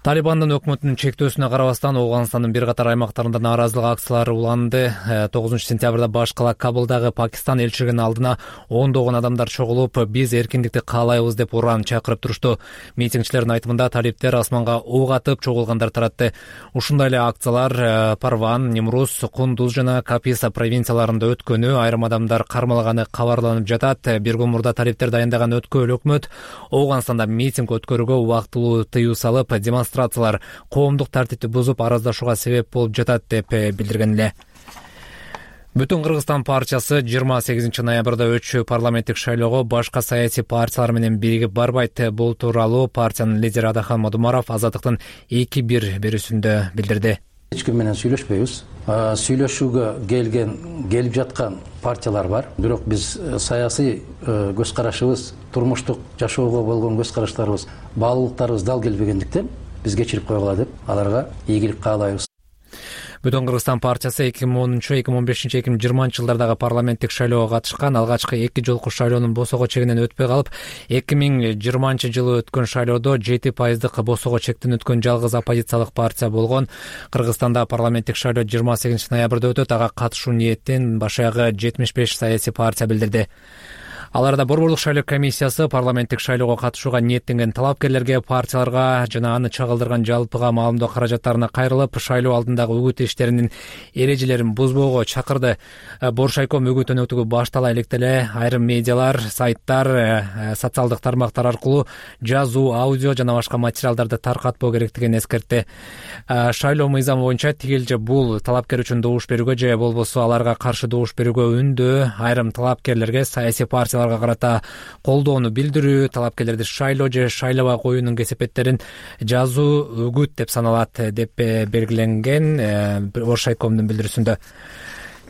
Талибандын өкмөтүнүн чектөөсүнө карабастан Ооганстандын бир катар аймактарында нааразылык акциялары уланды. 9-сентябрда баш кала Кабылдагы Пакистан элчилигинин алдына ондогон адамдар чогулуп, биз эркиндикти каалайбыз деп уран чакырып турушту. Митингчилердин айтымында талиптер асманга ок атып чогулгандар таратты. Ушундай эле акциялар Парван, Нимрус, Кундуз жана Каписа провинцияларында өткөнү, айрым адамдар кармалганы кабарланып жатат. Бир күн мурда талиптер дайындаган өткөл өкмөт Ооганстанда митинг өткөрүүгө убактылуу тыюу салып, демонстрациялар коомдук тартипти бузуп араздашууга себеп болуп жатат деп билдирген эле. Бүтүн Кыргызстан партиясы 28 ноябрда өтчү парламенттик шайлоого башка саясий партиялар менен биригип барбайт. Бул тууралуу партиянын лидери Адахан Мадумаров Азаттыктын 2-1 берүүсүндө билдирди. Эч ким менен сүйлөшпөйбүз. Сүйлөшүүгө келип жаткан партиялар бар. Бирок биз саясий көз карашыбыз, турмуштук жашоого болгон көз караштарыбыз, баалуулуктарыбыз дал келбегендиктен биз кечирип койгула деп аларга ийгилик каалайбыз. Бүтүн Кыргызстан партиясы 2010, 2015, 2020 жылдардагы парламенттик шайлоого катышкан. Алгачкы 2 жолку шайлоонун босого чегинен өтпөй калып, 2020 жылы өткөн шайлоодо 7% босого чектен өткөн жалгыз оппозициялык партия болгон. Кыргызстанда парламенттик шайлоо 28 ноябрда өтөт. Ага катышуу ниетин баш аягы 75 саясий партия билдирди. Аларда борборлук шайлоо комиссиясы парламенттик шайлоого катышууга ниеттенген талапкерлерге, партияларга жана аны чагылдырган жалпыга маалымдоо каражаттарына кайрылып, шайлоо алдындагы үгүт иштеринин эрежелерин бузбоого чакырды. Боршайком үгүт өнөктүгү баштала электе айрым медиалар, сайттар, социалдык тармактар аркылуу жазуу, аудио жана башка материалдарды таркатпоо керектигин эскертти. Шайлоо мыйзамы боюнча тигил же бул талапкер үчүн добуш берүүгө же болбосо аларга каршы добуш берүүгө үндөө айрым талапкерлерге саясий партиялар карата колдоону билдирүү, талапкерлерди шайлоо же шайлабай коюунун кесепеттерин жазуу үгүт деп саналат деп белгиленген Боршайкомдун билдирүүсүндө.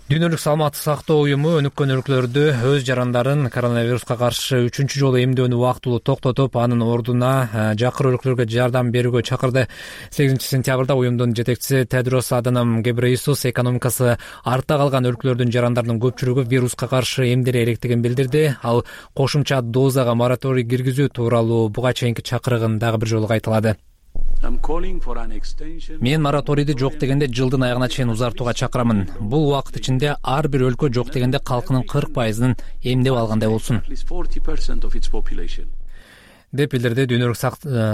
Дүйнөлүк саламаттык сактоо уюму өнүккөн өлкөлөрдө өз жарандарын коронавируска каршы 3-чү жолу эмдөөнү убактылуу токтотуп, анын ордуна жакыр өлкөлөргө жардам берүүгө чакырды. 8-сентябрда уюмдун жетекчиси Тедрос Аданом Гебрейесус экономикасы артта калган өлкөлөрдүн жарандарынын көпчүлүгү вируска каршы эмдере эректигин билдирди. Ал кошумча дозага мораторий киргизүү тууралуу буга чейинки чакырыгын дагы бир жолу кайталады. Мен мораторийди жок дегенде жылдын аягына чейин узартууга чакырамын. Бул убакыт ичинде ар бир өлкө жок дегенде калкынын 40%-ын эмдеп алгандай болсун деп билдирди Дүйнөлүк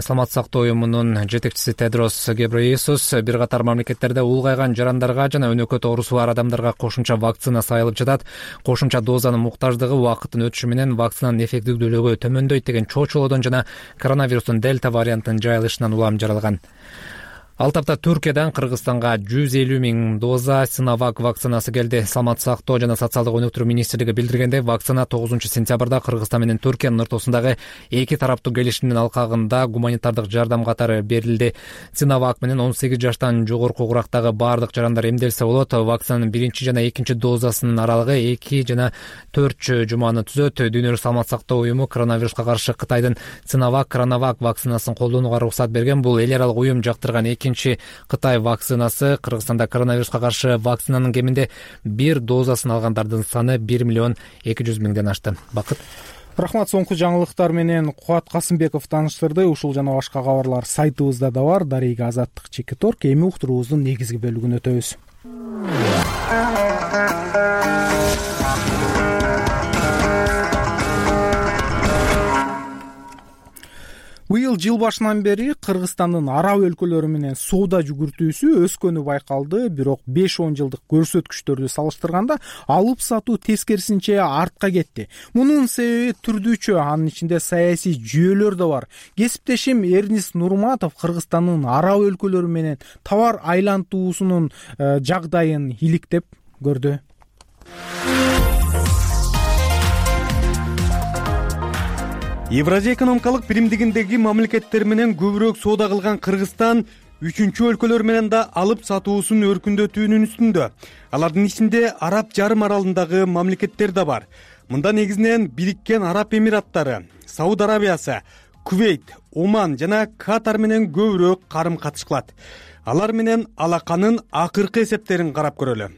саламаттык сактоо уюмунун жетекчиси Тедрос Гебрейесус. Бир катар мамлекеттерде улгайган жарандарга жана өнөкөт оорусу бар адамдарга кошумча вакцина сайылып жатат. Кошумча дозанын муктаждыгы убакыттын өтүшү менен вакцинанын эффективдүүлүгү төмөндөйт деген чоочулоодон жана коронавирустун дельта вариантынын жайылышынан улам жаралган. Ал тапта Түркиядан Кыргызстанга 150 000 доза Синовак вакцинасы келди. Саламаттык сактоо жана социалдык өнүктүрүү министрлиги билдиргенде, вакцина 9-сентябрда Кыргызстан менен Түркиянын ортосундагы эки тараптуу келишимдин алкагында гуманитардык жардам катары берилди. Синовак менен 18 жаштан жогорку курактагы баардык жарандар эмделсе болот. Вакцинанын биринчи жана экинчи дозасынын аралыгы 2 жана 4 жуманы түзөт. Дүйнөлүк саламаттык сактоо уюму коронавируска каршы Кытайдын Синовак Коронавак вакцинасын колдонууга уруксат берген. Бул эл аралык уюм жактырган Кытай вакцинасы. Кыргызстанда коронавируска каршы вакцинанын кеминде 1 дозасын алгандардын саны 1 200 000 ашты. Бакыт. Рахмат. Соңку жаңылыктар менен Кубат Касымбеков тааныштырды. Ушул жана башка кабарлар сайтыбызда да бар. Дарыга Азаттык Чекиторг. Эми уктуруубуздун негизги бөлүгүнө өтөбүз. Быйыл жыл башынан бери Кыргызстандын араб өлкөлөрү менен соода жүгүртүүсү өскөнү байкалды. Бирок 5-10 жылдык көрсөткүчтөрдү салыштырганда алып сатуу тескерисинче артка кетти. Мунун себеби түрдүүчө, анын ичинде саясий жүйөлөр да бар. Кесиптешим Эрнис Нурматов Кыргызстандын араб өлкөлөрү менен товар айлантуусунун жагдайын иликтеп көрдү. Евразия экономикалык биримдигиндеги мамлекеттер менен көбүрөөк соода кылган Кыргызстан үчүнчү өлкөлөр менен да алып сатуусун өркүндөтүүнүн үстүндө. Алардын ичинде Араб жарым аралындагы мамлекеттер да бар. Мында негизинен Бириккен Араб Эмираттары, Сауд Арабиясы, Кувейт, Оман жана Катар менен көбүрөөк карым-катыш кылат. Алар менен алаканын акыркы эсептерин карап көрөлү.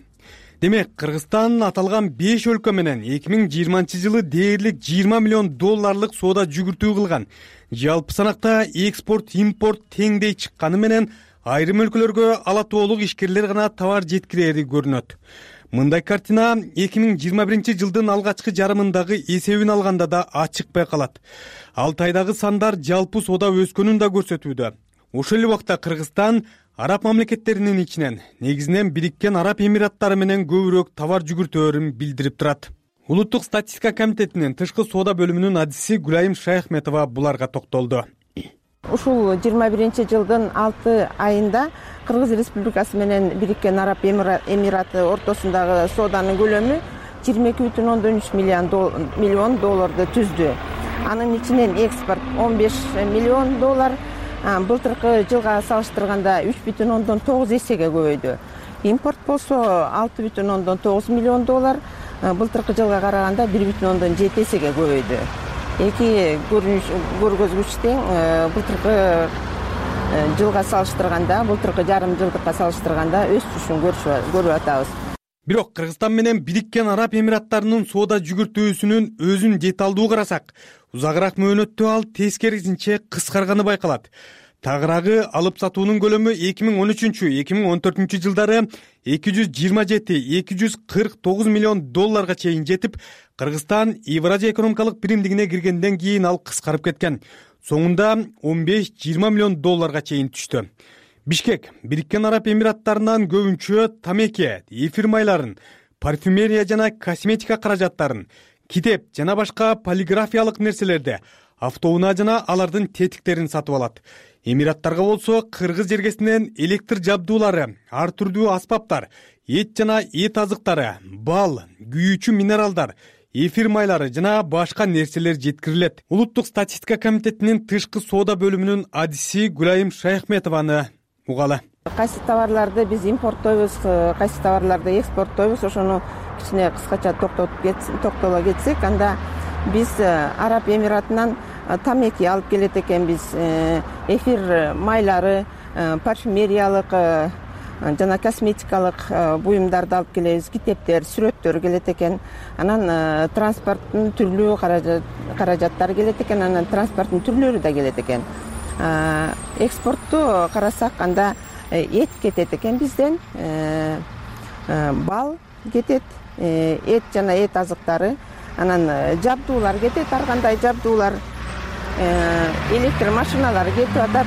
Демек, Кыргызстан аталган 5 өлкө менен 2020-жылы дээрлик $20 миллион соода жүгүртүү кылган. Жалпы санакта экспорт-импорт теңдей чыкканы менен айрым өлкөлөргө ала тоолук ишкерлер гана товар жеткирери көрүнөт. Мындай картина 2021-жылдын алгачкы жарымындагы эсебин алганда да ачык байкалат. Алтайдагы сандар жалпы соода өскөнүн да көрсөтүүдө. Ошол эле убакта Кыргызстан араб мамлекеттеринин ичинен негизинен Бириккен Араб Эмираттары менен көбүрөөк товар жүгүртөөрүн билдирип турат. Улуттук статистика комитетинин тышкы соода бөлүмүнүн адиси Гүлайым Шайхметова буларга токтолду. Ушул 21-жылдын 6 айында Кыргыз Республикасы менен Бириккен Араб Эмираты ортосундагы сооданын көлөмү $22,3 миллион түздү. Анын ичинен экспорт $15 миллион, былтыркы жылга салыштырганда 3,9 эсеге көбөйдү. Импорт болсо $6,9 миллион, былтыркы жылга караганда 1,7 эсеге көбөйдү. Эки көргөзгүч тең. Былтыркы жылга салыштырганда, былтыркы жарым жылдыкка салыштырганда өсүшүн көрүп атабыз. Бирок Кыргызстан менен Бириккен Араб Эмираттарынын соода жүгүртүүсүнүн өзүн деталдуу карасак, узагыраак мөөнөттө ал тескерисинче кыскарганы байкалат. Тагыраагы алып сатуунун көлөмү 2013-2014 жылдары $227-249 миллион чейин жетип, Кыргызстан Евразия экономикалык биримдигине киргенден кийин ал кыскарып кеткен. Соңунда $15-20 миллион чейин түштү. Бишкек Бириккен Араб Эмираттарынан көбүнчө тамеки, эфир майларын, парфюмерия жана косметика каражаттарын, китеп жана башка полиграфиялык нерселерди, автоунаа жана алардын тетиктерин сатып алат. Эмираттарга болсо кыргыз жергесинен электр жабдуулары, ар түрдүү аспаптар, эт жана эт азыктары, бал, күйүүчү минералдар, эфир майлары жана башка нерселер жеткирилет. Улуттук статистика комитетинин тышкы соода бөлүмүнүн адиси Гүлайым Шайхметованы угалы. Кайсы товарларды биз импорттойбуз, кайсы товарларды экспорттойбуз, ошону кичине кыскача токтоло кетсек, анда биз Араб Эмиратынан тамеки алып келет экенбиз, эфир майлары, парфюмериялык жана косметикалык буюмдарды алып келебиз, китептер, сүрөттөр келет экен. Анан транспорттун түрлүү каражаттары келет экен, анан транспорттун түрлөрү да келет экен. экспортту карасак анда эт кетет экен бизден, бал кетет, эт жана эт азыктары, анан жабдуулар кетет, ар кандай жабдуулар, электр машиналары кетип атат,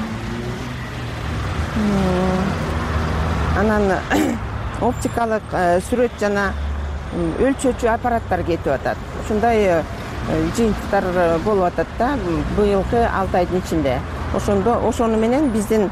анан оптикалык сүрөт жана өлчөөчү аппараттар кетип атат. Ушундай жыйынтыктар болуп атат да быйылкы 6 айдын ичинде. Ошону менен биздин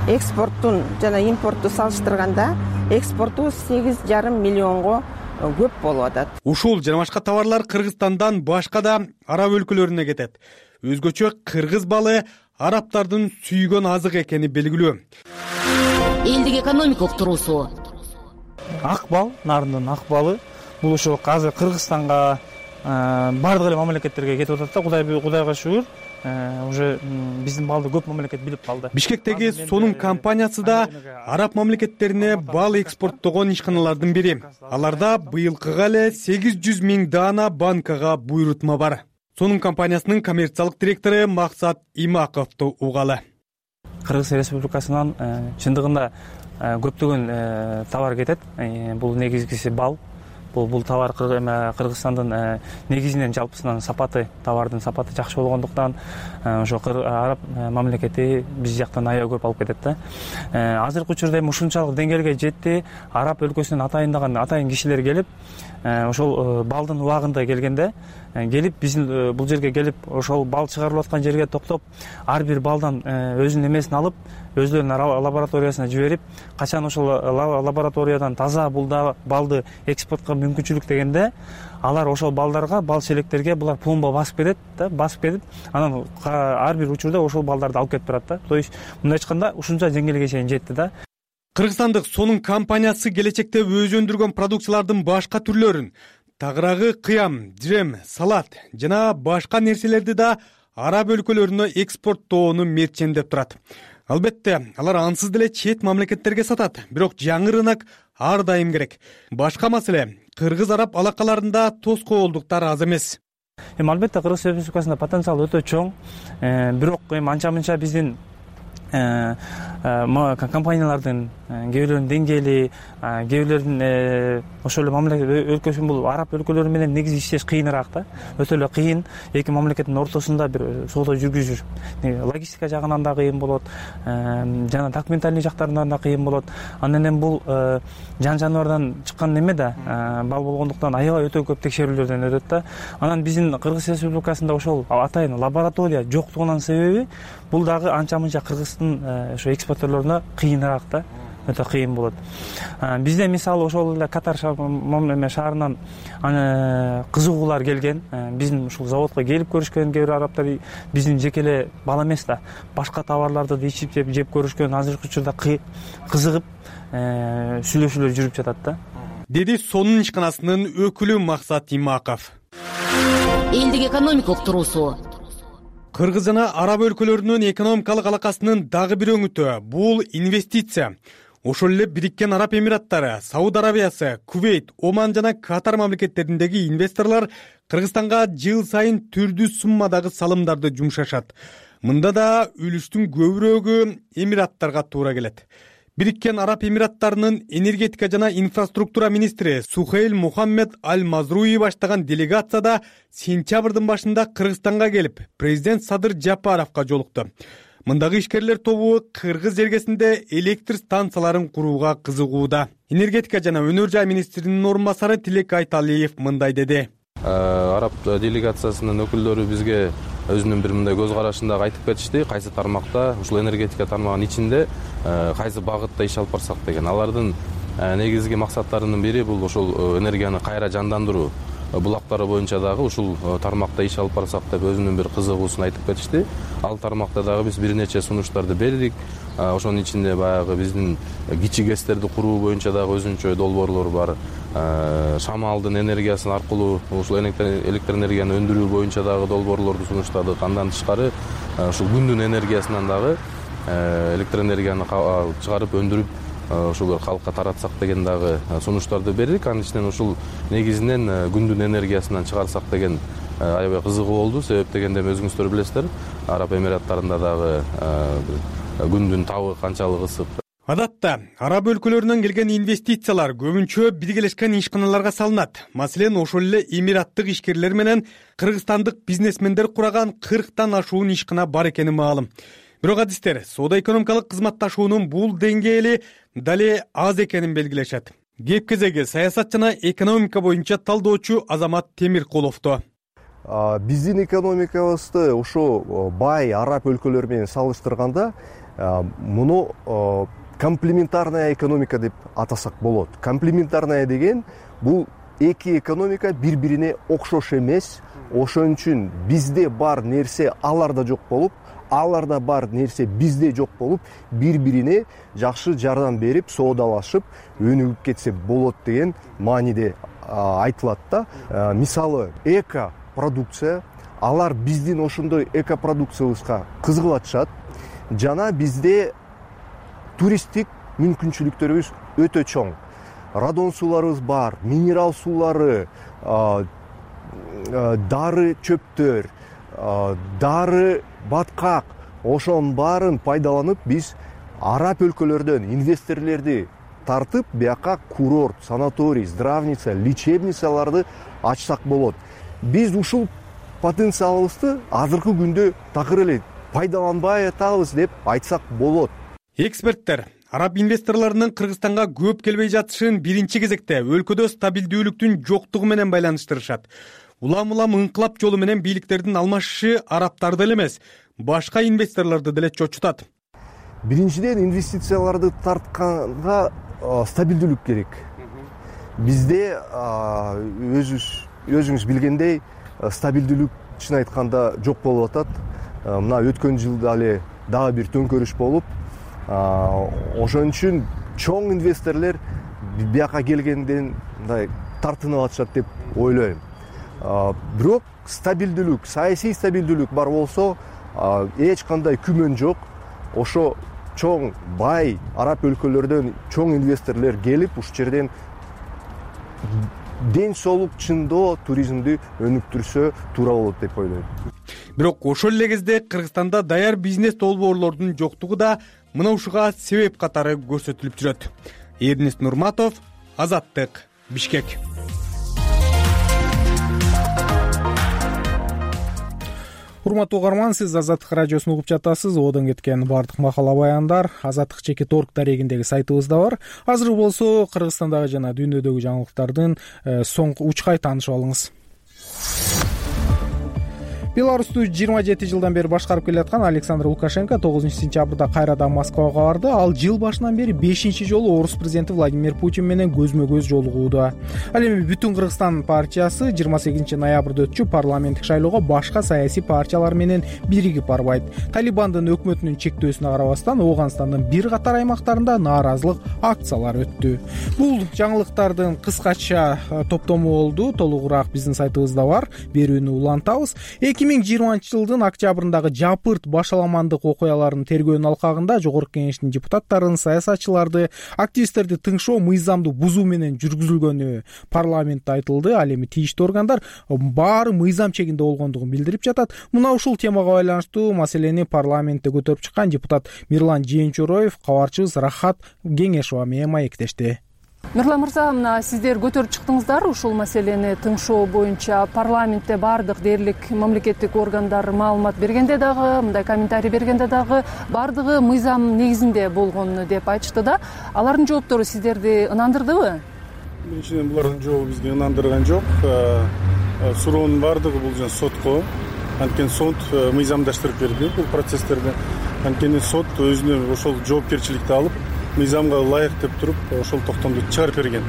экспорттун жана импортту салыштырганда экспорту 8,5 миллионго көп болуп атат. Ушул жана башка товарлар Кыргызстандан башка да араб өлкөлөрүнө кетет. Өзгөчө кыргыз балы арабтардын сүйгөн азык экени белгилүү. Элдик экономика уктуруусу. Ак бал, нарындын ак балы бул ошо азыр Кыргызстанга бардык эле мамлекеттерге кетип атат да. Кудайга шүгүр, уже биздин балды көп мамлекет билип калды. Бишкектеги сонун компаниясы да араб мамлекеттерине бал экспорттогон ишканалардын бири. Аларда быйылкыга эле 800 000 даана банкага буйрутма бар. Сонун компаниясынын коммерциялык директору Максат Имаковду угалы. Кыргыз Республикасынан чындыгында көптөгөн товар кетет. Бул негизгиси бал. Бул товар Кыргызстандын негизинен жалпысынан сапаты, товардын сапаты жакшы болгондуктан ошо араб мамлекети биз жактан аябай көп алып кетет да. Азыркы учурда эми ушунчалык деңгээлге жетти. Араб өлкөсүнөн атайын кишилер келип, ошол балдын убагында келгенде келип биздин бул жерге келип, ошол бал чыгарылып аткан жерге токтоп, ар бир балдан өзүнүн эмесин алып, өздөрүнүн лабораториясына жиберип, качан ошол лабораториядан таза балды экспортко мүмкүнчүлүк дегенде, алар ошол балдарга, бал челектерге булар пломба басып кетет, анан ар бир учурда ошол балдарды алып кетип барат да. То есть мындай айтканда ушунча деңгээлге чейин жетти да. Кыргызстандык сонун компаниясы келечекте өзү өндүргөн продукциялардын башка түрлөрүн, тагыраагы кыям, жем, салат жана башка нерселерди да араб өлкөлөрүнө экспорттоону мерчендеп турат. Албетте, алар ансыз деле чет мамлекеттерге сатат, бирок жаңы рынок ар дайым керек. Башка маселе, кыргыз-араб алакаларында тоскоолдуктар аз эмес. Албетте, Кыргыз Республикасында потенциал өтө чоң, бирок анча-мынча биздин компаниялардын кээ бирлеринин деңгээли, кээ бирлеринин ошол эле мамлекет өлкөсүн бул араб өлкөлөрү менен негизи иштеш кыйыныраак да. Өтө эле кыйын, эки мамлекеттин ортосунда бир соода жүргүзүш. Логистика жагынан да кыйын болот, жана документальный жактарынан да кыйын болот. Анан эми бул жан-жаныбардан чыккан неме да, бал болгондуктан аябай өтө көп текшерүүлөрдөн өтөт да. Анан биздин Кыргыз Республикасында ошол атайын лаборатория жоктугунун себеби бул дагы анча-мынча Кыргыздын ошо экспортерлоруна кыйыныраак да. Өтө кыйын болот. Бизде мисалы ошол эле Катар шаарынан кызыгуулар келген, биздин ушул заводко келип көрүшкөн кээ бир арабтар биздин жеке эле бал эмес да, башка товарларды да ичип жеп көрүшкөн, азыркы учурда кызыгып сүйлөшүүлөр жүрүп жатат да. Деди сонун ишканасынын өкүлү Максат Имаков. Элдик экономика уктуруусу. Кыргыз жана араб өлкөлөрүнүн экономикалык алакасынын дагы бир өңүтү бул инвестиция. Ошол эле Бириккен Араб Эмираттары, Сауд Арабиясы, Кувейт, Оман жана Катар мамлекеттериндеги инвесторлор Кыргызстанга жыл сайын түрдүү суммадагы салымдарды жумшашат. Мында да үлүштүн көбүрөөгү Эмираттарга туура келет. Бириккен Араб Эмираттарынын энергетика жана инфраструктура министри Сухейл Мухаммед Аль-Мазруи баштаган делегацияда сентябрдын башында Кыргызстанга келип, президент Садыр Жапаровго жолукту. Мындагы ишкерлер тобу Кыргыз жергесинде электр станцияларын курууга кызыгууда. Энергетика жана өнөр жай министринин орун басары Тилек Айталиев мындай деди. Араб делегациясынын өкүлдөрү бизге өзүнүн бир мындай көз карашын дагы айтып кетишти. Кайсы тармакта, ушул энергетика тармагынын ичинде кайсы багытта иш алып барсак деген. Алардын негизги максаттарынын бири бул ошол энергияны кайра жандандыруу. Булактары боюнча дагы ушул тармакта иш алып барсак деп өзүнүн бир кызыгуусун айтып кетишти. Ал тармакта дагы биз бир нече сунуштарды бердик. Ошонун ичинде баягы биздин кичи ГЭСтерди куруу боюнча дагы өзүнчө долбоорлор бар. Шамалдын энергиясы аркылуу ушул электр энергияны өндүрүү боюнча дагы долбоорлорду сунуштадык. Андан тышкары ушул күндүн энергиясынан дагы электр энергияны чыгарып өндүрүп ошол калкка таратсак деген дагы сунуштарды бердик. Анын ичинен ушул негизинен күндүн энергиясынан чыгарсак деген аябай кызыгуу болду. Себеп дегенде өзүңүздөр билесиздер, Араб Эмираттарында дагы күндүн табы канчалык ысык. Адатта араб өлкөлөрүнөн келген инвестициялар көбүнчө биргелешкен ишканаларга салынат. Маселен, ошол эле эмираттык ишкерлер менен кыргызстандык бизнесмендер кураган 40тан ашуун ишкана бар экени маалым. Бирок адистер соода-экономикалык кызматташуунун бул деңгээли дале аз экенин белгилешет. Кеп кезеги саясат жана экономика боюнча талдоочу Азамат Темиркуловдо. Биздин экономикабызды ушу бай араб өлкөлөрү менен салыштырганда муну комплементарная экономика деп атасак болот. Комплементарная деген бул эки экономика бири-бирине окшош эмес. Ошон үчүн бизде бар нерсе аларда жок болуп, аларда бар нерсе бизде жок болуп, бири-бирине жакшы жардам берип, соодалашып, өнүгүп кетсе болот деген мааниде айтылат да. Мисалы, эко продукция, алар биздин ошондой эко продукциябызга кызыгып жана бизде туристтик мүмкүнчүлүктөрүбүз өтө чоң. Радон сууларыбыз бар, минерал суулары, дары чөптөр, дары баткак, ошонун баарын пайдаланып биз араб өлкөлөрдөн инвесторлорду тартып, бияка курорт, санаторий, здравница, лечебницаларды ачсак болот. Биз ушул потенциалыбызды азыркы күндө такыр эле пайдаланбай атабыз деп айтсак болот. Эксперттер араб инвесторлорунун Кыргызстанга көп келбей жатышын биринчи кезекте өлкөдө стабилдүүлүктүн жоктугу менен байланыштырышат. Улам ыңкылап жолу менен бийликтердин алмашышы арабтарды эле эмес, башка инвесторлорду деле чочутат. Биринчиден, инвестицияларды тартканга стабилдүүлүк керек. Бизде өзүңүз билгендей стабилдүүлүк чын айтканда жок болуп атат. Мына өткөн жылда эле дагы бир төңкөрүш болуп, ошон үчүн чоң инвесторлор бияка келгенден мындай тартынып атышат деп ойлойм. Бирок стабилдүүлүк, саясий стабилдүүлүк бар болсо, эч кандай күмөн жок. Ошо чоң бай араб өлкөлөрдөн чоң инвесторлор келип, ушул жерден ден соолук чындоо туризмди өнүктүрсө туура болот деп ойлойм. Бирок ошол эле кезде Кыргызстанда даяр бизнес долбоорлордун жоктугу да мына ушуга себеп катары көрсөтүлүп жүрөт. Эрнест Нурматов, Азаттык, Бишкек. Урматтуу угарман, сиз Азаттык радиосун угуп жатасыз. Одон кеткен бардык макала баяндар azattik.org дарегиндеги сайтыбызда бар. Азыр болсо Кыргызстандагы жана дүйнөдөгү жаңылыктардын соңку учкай таанышып алыңыз. Беларусту 27 жылдан бери башкарып келаткан Александр Лукашенко 9-сентябрда кайрадан Москвага барды. Ал жыл башынан бери 5-чи жолу орус президенти Владимир Путин менен көзмө-көз жолугууда. Ал эми Бүтүн Кыргызстан партиясы 28 ноябрда өтчү парламенттик шайлоого башка саясий партиялар менен биригип барбайт. Талибандын өкмөтүнүн чектөөсүнө карабастан Ооганстандын бир катар аймактарында нааразылык акциялары өттү. Бул жаңылыктардын кыскача топтому болду. Толугураак биздин сайтыбызда бар. Берүүнү улантабыз. 2020 жылдын октябрындагы жапырт башаламандык окуялардын тергөөнүн алкагында Жогорку Кеңештин депутаттарын, саясатчыларды, активисттерди тыңшоо мыйзамды бузуу менен жүргүзүлгөнү парламентте айтылды. Ал эми тийиштүү органдар баары мыйзам чегинде болгондугун билдирип жатат. Мына ушул темага байланыштуу маселени парламентте көтөрүп чыккан депутат Мирлан Жээнчороев кабарчыбыз Рахат Кеңешова менен маектешти. Мирлан мырза, мына сиздер көтөрүп чыктыңыздар ушул маселени тыңшоо боюнча. Парламентте бардык дээрлик мамлекеттик органдар маалымат бергенде дагы, мындай комментарий бергенде дагы бардыгы мыйзам негизинде болгон деп айтышты да. Алардын жооптору сиздерди ынандырдыбы? Биринчиден, булардын жообу бизди ынандырган жок. Суроонун бардыгы бул жана сотко. Анткени сот мыйзамдаштырып берди бул процесстерди. Анткени сот өзүнө ошол жоопкерчиликти алып, мыйзамга ылайык деп туруп ошол токтомду чыгарып берген.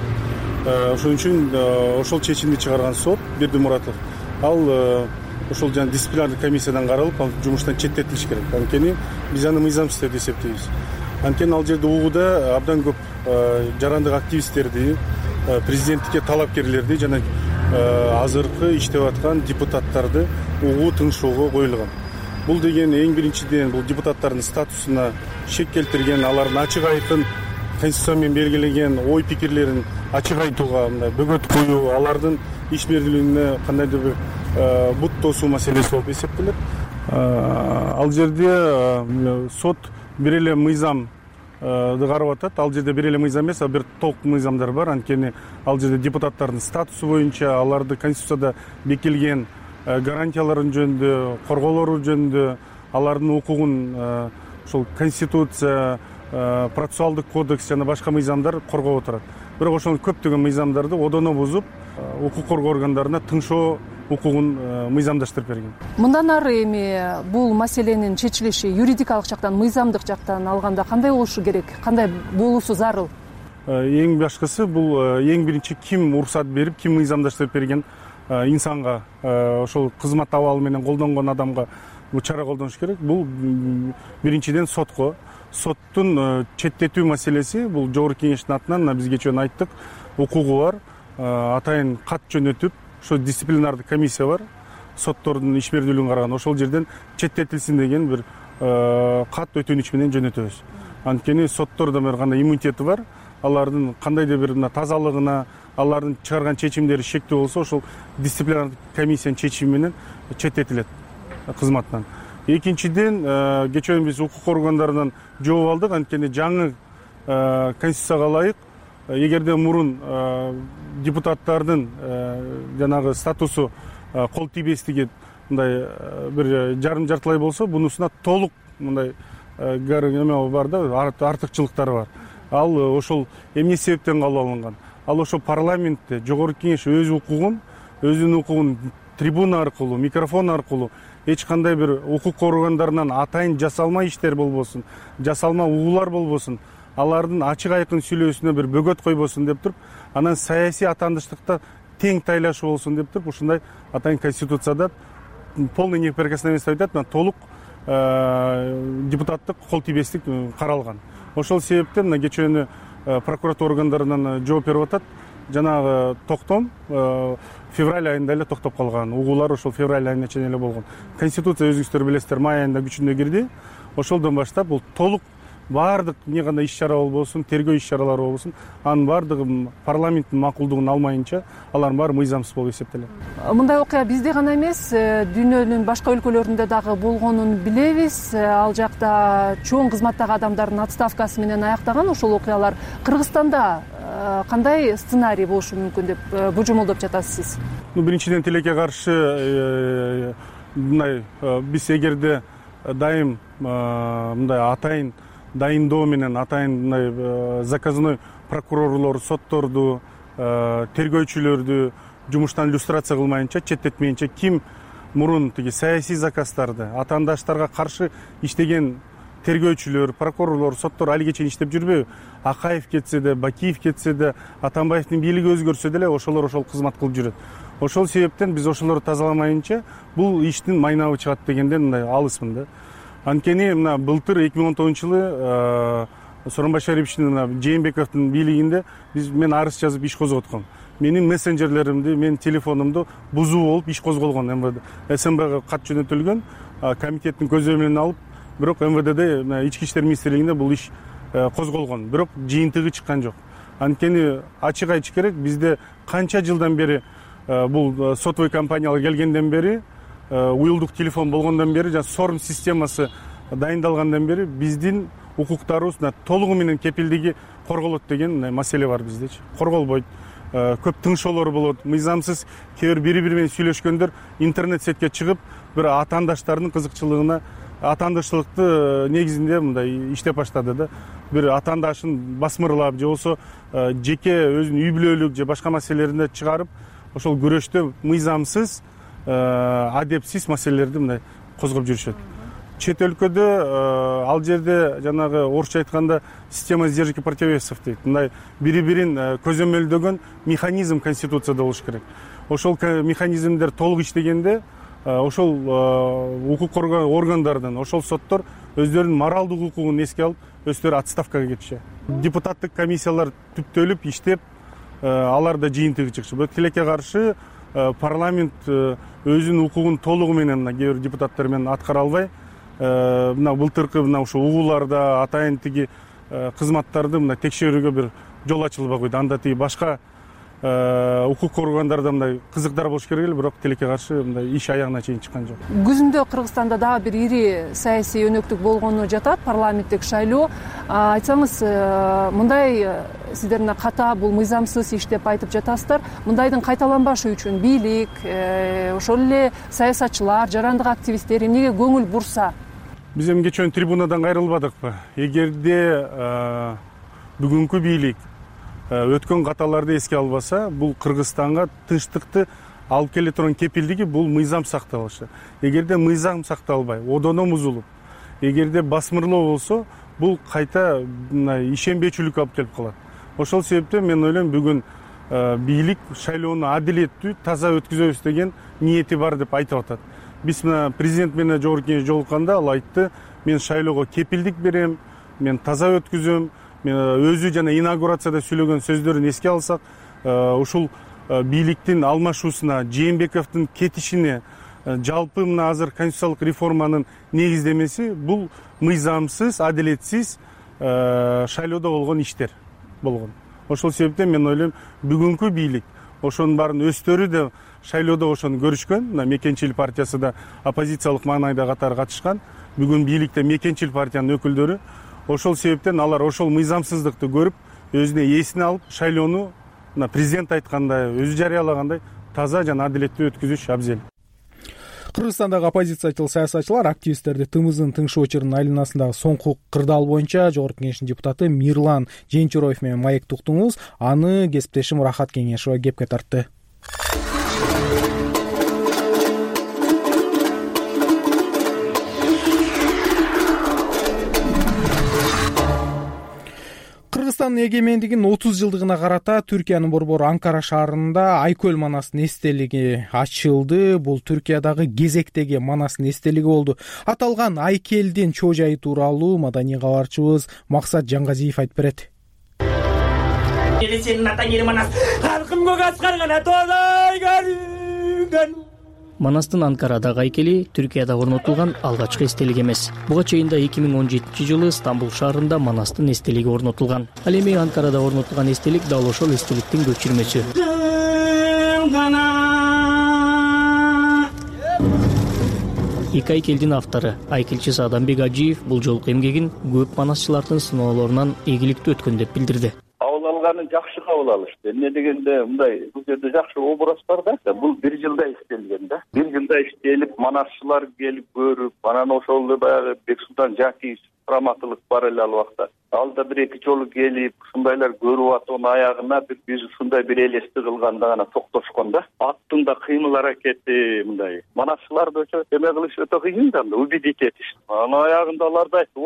Ошон үчүн ошол чечимди чыгарган сот Бердимуратов ал ошол жана дисциплинардык комиссиядан каралып, ал жумуштан четтетилиш керек. Анткени биз аны мыйзамсыз деп эсептейбиз. Анткени ал жерде угууда абдан көп жарандык активисттерди, президенттикке талапкерлерди жана азыркы иштеп аткан депутаттарды угуу тыңшоого коюлган. Бул деген эң биринчиден бул депутаттардын статусуна шек келтирген, алардын ачык айкын конституция менен белгилеген ой пикирлерин ачык айтууга мындай бөгөт коюу, алардын ишмердүүлүгүнө кандайдыр бир бут тосуу маселеси болуп эсептелет. Ал жерде сот бир эле мыйзамды карап атат. Ал жерде бир эле мыйзам эмес, а бир толук мыйзамдар бар. Анткени ал жерде депутаттардын статусу боюнча, аларды конституцияда бекилген гарантияларын жөнүндө, корголору жөнүндө, алардын укугун ошол конституция, процессуалдык кодекс жана башка мыйзамдар коргоп отурат. Бирок ошол көптөгөн мыйзамдарды одоно бузуп, укук коргоо органдарына тыңшоо укугун мыйзамдаштырып берген. Мындан ары эми бул маселенин чечилиши юридикалык жактан, мыйзамдык жактан алганда кандай болушу керек, кандай болуусу зарыл? Эң башкысы бул эң биринчи ким уруксат берип, ким мыйзамдаштырып берген инсанга, ошол кызмат абалы менен колдонгон адамга бул чара колдонуш керек. Бул биринчиден сотко. Соттун четтетүү маселеси бул жогорку кеңештин атынан биз кечээ айттык, укугу бар. Атайын кат жөнөтүп, ошо дисциплинардык комиссия бар, соттордун ишмердүүлүгүн караган, ошол жерден четтетилсин деген бир кат өтүнүч менен жөнөтөбүз. Анткени соттордо бир кандай иммунитети бар, алардын кандайдыр бир тазалыгына, алардын чыгарган чечимдери шектүү болсо, ошол дисциплинардык комиссиянын чечими менен четтетилет кызматтан. Экинчиден, кечээ биз укук органдарынан жооп алдык. Анткени жаңы конституцияга ылайык, эгерде мурун депутаттардын жанагы статусу кол тийбестиги мындай бир жарым-жартылай болсо, бунусуна толук мындай эме бар да, артыкчылыктары бар. Ал ошол эмне себептен кабыл алынган? Ал ошол парламентте жогорку кеңеш өзүнүн укугун трибуна аркылуу, микрофон аркылуу эч кандай бир укук органдарынан атайын жасалма иштер болбосун, жасалма угуулар болбосун, алардын ачык айкын сүйлөөсүнө бир бөгөт койбосун деп туруп, анан саясий атандыштыкта тең тайлашуу болсун деп туруп, ушундай атайын конституцияда полный неприкосновенность айтат, толук депутаттык кол тийбестик каралган. Ошол себептен кечээ прокуратура органдарынан жооп берип атат. Жанагы токтом февраль айында эле токтоп калган. Угуулар ошол февраль айына чейин эле болгон. Конституция өзүңүздөр билесиздер, май айында күчүнө кирди. Ошолдон баштап бул толук баардык эмне кандай иш-чара болбосун, тергөө иш-чаралары болбосун, анын баардыгы парламенттин макулдугун алмайынча, алардын баары мыйзамсыз болуп эсептелет. Мындай окуя бизде гана эмес, дүйнөнүн башка өлкөлөрүндө дагы болгонун билебиз. Ал жакта чоң кызматтагы адамдардын отставкасы менен аяктаган ошол окуялар. Кыргызстанда кандай сценарий болушу мүмкүн деп божомолдоп жатасыз? Биринчиден тилекке каршы мындай биз эгерде дайым мындай атайын дайындоо менен, атайын мындай заказной прокурорлор, сотторду, тергөөчүлөрдү жумуштан иллюстрация кылмайынча, четтетмейинче, ким мурун тиги саясий заказдарды атаандаштарга каршы иштеген тергөөчүлөр, прокурорлор, соттор алиге чейин иштеп жүрбөйбү? Акаев кетсе да, Бакиев кетсе да, Атамбаевдин бийлиги өзгөрсө деле ошолор ошол кызмат кылып жүрөт. Ошол себептен биз ошолорду тазаламайынча бул иштин майнабы чыгат дегенден мындай алысмын да. Анткени мына былтыр 2010-жылы Сооронбай Шариповичтин, Жээнбековдун бийлигинде мен арыз жазып иш козготком. Менин мессенджерлеримди, менин телефонумду бузуу болуп иш козголгон МВД. СМБга кат жөнөтүлгөн, комитеттин көзөмөлүнө алып, бирок МВДде, Ички иштер министрлигинде бул иш козголгон. Бирок жыйынтыгы чыккан жок. Анткени ачык айтыш керек, бизде канча жылдан бери бул сотовый компаниялар келгенден бери, уюлдук телефон болгондон бери, жана сорм системасы дайындалгандан бери биздин укуктарыбыз толугу менен кепилдиги корголот деген маселе бар биздечи. Корголбойт. Көп тыңшоолор болот, мыйзамсыз кээ бир бири менен сүйлөшкөндөр интернет сетке чыгып, бир атаандаштардын кызыкчылыгына, атаандаштылыкты негизинде мындай иштеп баштады да. Бир атаандашын басмырлап же болсо жеке өзүнүн үй бүлөлүк же башка маселелеринде чыгарып, ошол күрөштө мыйзамсыз, адепсиз маселелерди мындай козгоп жүрүшөт. Чет өлкөдө ал жерде жанагы орусча айтканда система сдержки противовесов дейт. Мындай бири-бирин көзөмөлдөгөн механизм конституцияда болуш керек. Ошол механизмдер толук иштегенде ошол укук органдардын, ошол соттор өздөрүнүн моралдык укугун эске алып, өздөрү отставкага кетишет. Депутаттык комиссиялар түптөлүп иштеп, алар да жыйынтыгы чыкчу. Бирок тилекке каршы парламент өзүнүн укугун толугу менен кээ бир депутаттар менен аткара албай, мына былтыркы мына ушул угууларда атайын тиги кызматтарды мына текшерүүгө бир жол ачылбай койду. Анда тиги башка укук органдарда мындай кызыктар болуш керек эле, бирок тилекке каршы мындай иш аягына чейин чыккан жок. Күзүндө Кыргызстанда дагы бир ири саясий өнөктүк болгону жатат, парламенттик шайлоо. Айтсаңыз, мындай сиздер мына ката бул мыйзамсыз иш деп айтып жатасыздар. Мындайдын кайталанбашы үчүн бийлик, ошол эле саясатчылар, жарандык активисттер эмнеге көңүл бурса? Биз эми кечээ трибунадан кайрылбадыкпы? Эгерде бүгүнкү бийлик өткөн каталарды эске албаса, бул Кыргызстанга тынчтыкты алып келе турган кепилдиги бул мыйзам сакталышы. Эгерде мыйзам сакталбай, одоно бузулуп, эгерде басмырлоо болсо, бул кайта ишенбечүлүккө алып келип калат. Ошол себептен мен ойлойм, бүгүн бийлик шайлоону адилеттүү, таза өткүзөбүз деген ниети бар деп айтып атат. Биз мына президент менен жогорку кеңеш жолукканда ал айтты, мен шайлоого кепилдик берем, мен таза өткүзөм. Мен өзү жана инаугурацияда сүйлөгөн сөздөрүн эске алсак, ушул бийликтин алмашуусуна, Жээнбековдун кетишине, жалпы мына азыр конституциялык реформанын негиздемеси бул мыйзамсыз, адилетсиз шайлоодо болгон иштер болгон. Ошол себептен мен ойлойм, бүгүнкү бийлик ошонун баарын өздөрү да шайлоодо ошону көрүшкөн. Мына Мекенчил партиясы да оппозициялык маанайда катары катышкан. Бүгүн бийликте Мекенчил партиянын өкүлдөрү. Ошол себептен алар ошол мыйзамсыздыкты көрүп, өзүнө эсине алып, шайлоону мына президент айткандай, өзү жарыялагандай таза жана адилеттүү өткүзүш абзел. Кыргызстандагы оппозициячыл саясатчылар активисттерди тымызын тыңшоо чырынын айланасындагы соңку кырдаал боюнча жогорку кеңештин депутаты Мирлан Женчуроев менен маекти уктуңуз. Аны кесиптешим Рахат Кеңешова кепке тартты. Кыргызстандын эгемендигинин 30 жылдыгына карата Түркиянын борбору Анкара шаарында Айкөл Манастын эстелиги ачылды. Бул Түркиядагы кезектеги Манастын эстелиги болду. Аталган айкелдин чоо жайы тууралуу маданий кабарчыбыз Максат Жаңгазиев айтып берет. Сенин атаң эли Манас, халкым көк аскаргана тоолой көрүнгөн. Манастын Анкарадагы айкели Түркияда орнотулган алгачкы эстелик эмес. Буга чейин 2017 жылы Стамбул шаарында Манастын эстелиги орнотулган. Ал эми Анкарада орнотулган эстелик дал ошол эстеликтин көчүрмөсү. Эки айкелдин автору айкелчи Сааданбек Ажиев бул жолку эмгегин көп манасчылардын сыноолорунан ийгиликтүү өткөн деп билдирди. Жакшы кабыл алышты. Эмне дегенде мындай бул жерде жакшы образ бар да. Бул 1 жылда иштелген да. 1 жылда иштелип, манасчылар келип көрүп, анан ошол эле баягы Бексултан Жакиев раматылык бар эле ал убакта. Ал да 1-2 жолу келип, ушундайлар көрүп атып, аягына биз ушундай бир элести кылганда гана токтошкон да. Аттын да кыймыл аракети мындай. Манасчыларды өчө эме кылыш өтө кыйын да, убедить этиш. Анан аягында аларды айтты,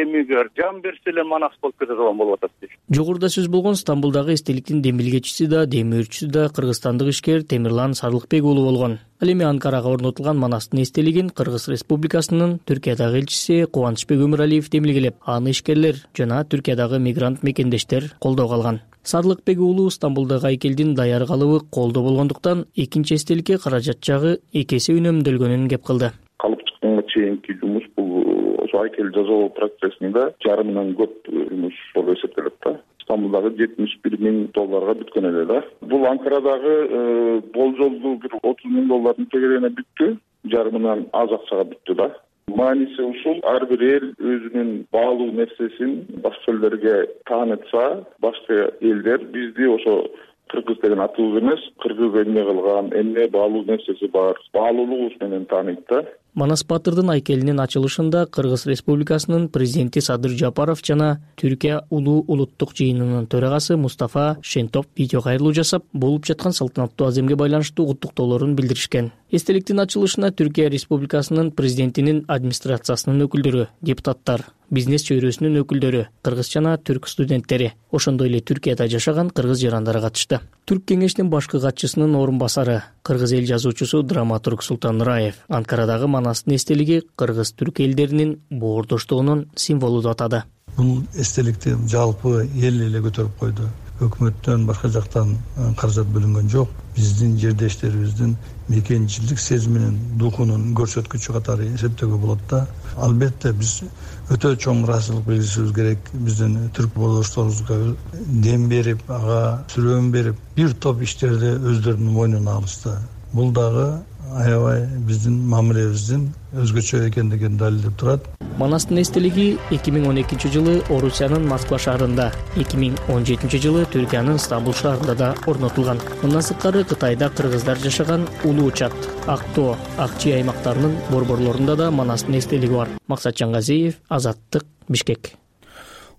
эмигер жан берсе эле манас болуп кете турган болуп атат дейт. Жогоруда сөз болгон Стамбулдагы эстеликтин демилгечиси да, демирчүсү да кыргызстандык ишкер Темирлан Сарылыкбек уулу болгон. Ал эми Анкарага орнотулган Манастын эстелигин Кыргыз Республикасынын Түркиядагы элчиси Кубанычбек Өмүралиев демилгелеп, аны ишкерлер жана Түркиядагы мигрант мекендештер колдоого алган. Сарылыкбек уулу Стамбулдагы айкелдин даяр калыбы колдо болгондуктан экинчи эстеликке каражат жагы 2 эсе үнөмдөлгөнүн кеп кылды. Калып чыкканга чейинки жумуш бул ошо айкел жасоо процессинде жарымынан көп жумуш болуп эсептелет да. Стамбулдагы $71,000 бүткөн эле да. Бул Анкарадагы болжолдуу бир $30,000 тегерегине бүттү, жарымынан аз акчага бүттү да. Мааниси ушул, ар бир эл өзүнүн баалуу нерсесин башка элдерге таанытса, башка элдер бизди ошо кыргыз деген атыбыз эмес, кыргыз эмне кылган, эмне баалуу нерсеси бар, баалуулугубуз менен тааныйт да. Манас Батырдын айкелинин ачылышында Кыргыз Республикасынын президенти Садыр Жапаров жана Түркия улуу улуттук жыйынынын төрагасы Мустафа Шентоп видео кайрылуу жасап, болуп жаткан салтанаттуу аземге байланыштуу куттуктоолорун билдиришкен. Эстеликтин ачылышына Түркия Республикасынын президентинин администрациясынын өкүлдөрү, депутаттар, бизнес чөйрөсүнүн өкүлдөрү, кыргыз жана түрк студенттери, ошондой эле Түркияда жашаган кыргыз жарандары катышты. Түрк кеңештин башкы катчысынын орун басары, кыргыз эл жазуучусу драматург Султан Раев Анкарадагы Манастын эстелиги кыргыз-түрк элдеринин боордоштугунун символу деп атады. Бул эстеликти жалпы эл эле көтөрүп койду. Өкмөттөн башка жактан каражат бөлүнгөн жок. Биздин жердештерибиздин мекенчилик сезиминин, духунун көрсөткүчү катары эсептөөгө болот да. Албетте биз өтө чоң ыраазычылык билдиришибиз керек. Биздин түрк болдошторубузга дем берип, ага сүрөм берип, бир топ иштерди өздөрүнүн мойнуна алышты. Бул дагы аябай биздин мамилебиздин өзгөчө экендигин далилдеп турат. Манастын эстелиги 2012 жылы Орусиянын Москва шаарында, 2017 жылы Түркиянын Стамбул шаарында да орнотулган. Мындан сырткары Кытайда кыргыздар жашаган Улуу Чат, Актоо, Акчи аймактарынын борборлорунда да Манастын эстелиги бар. Максат Жаңгазиев, Азаттык, Бишкек.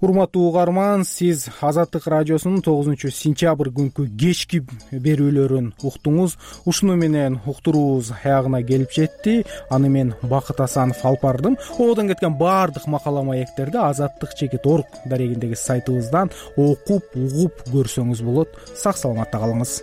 Урматтуу угарман, сиз Азаттык радиосунун 9-сентябрь күнкү кечки берүүлөрүн уктуңуз. Ушуну менен уктуруубуз аягына келип жетти. Аны мен Бакыт Асанов алып бардым. Одон кеткен баардык макала маектерди azattik.org дарегиндеги сайтыбыздан окуп, угуп көрсөңүз болот. Сак саламатта калыңыз.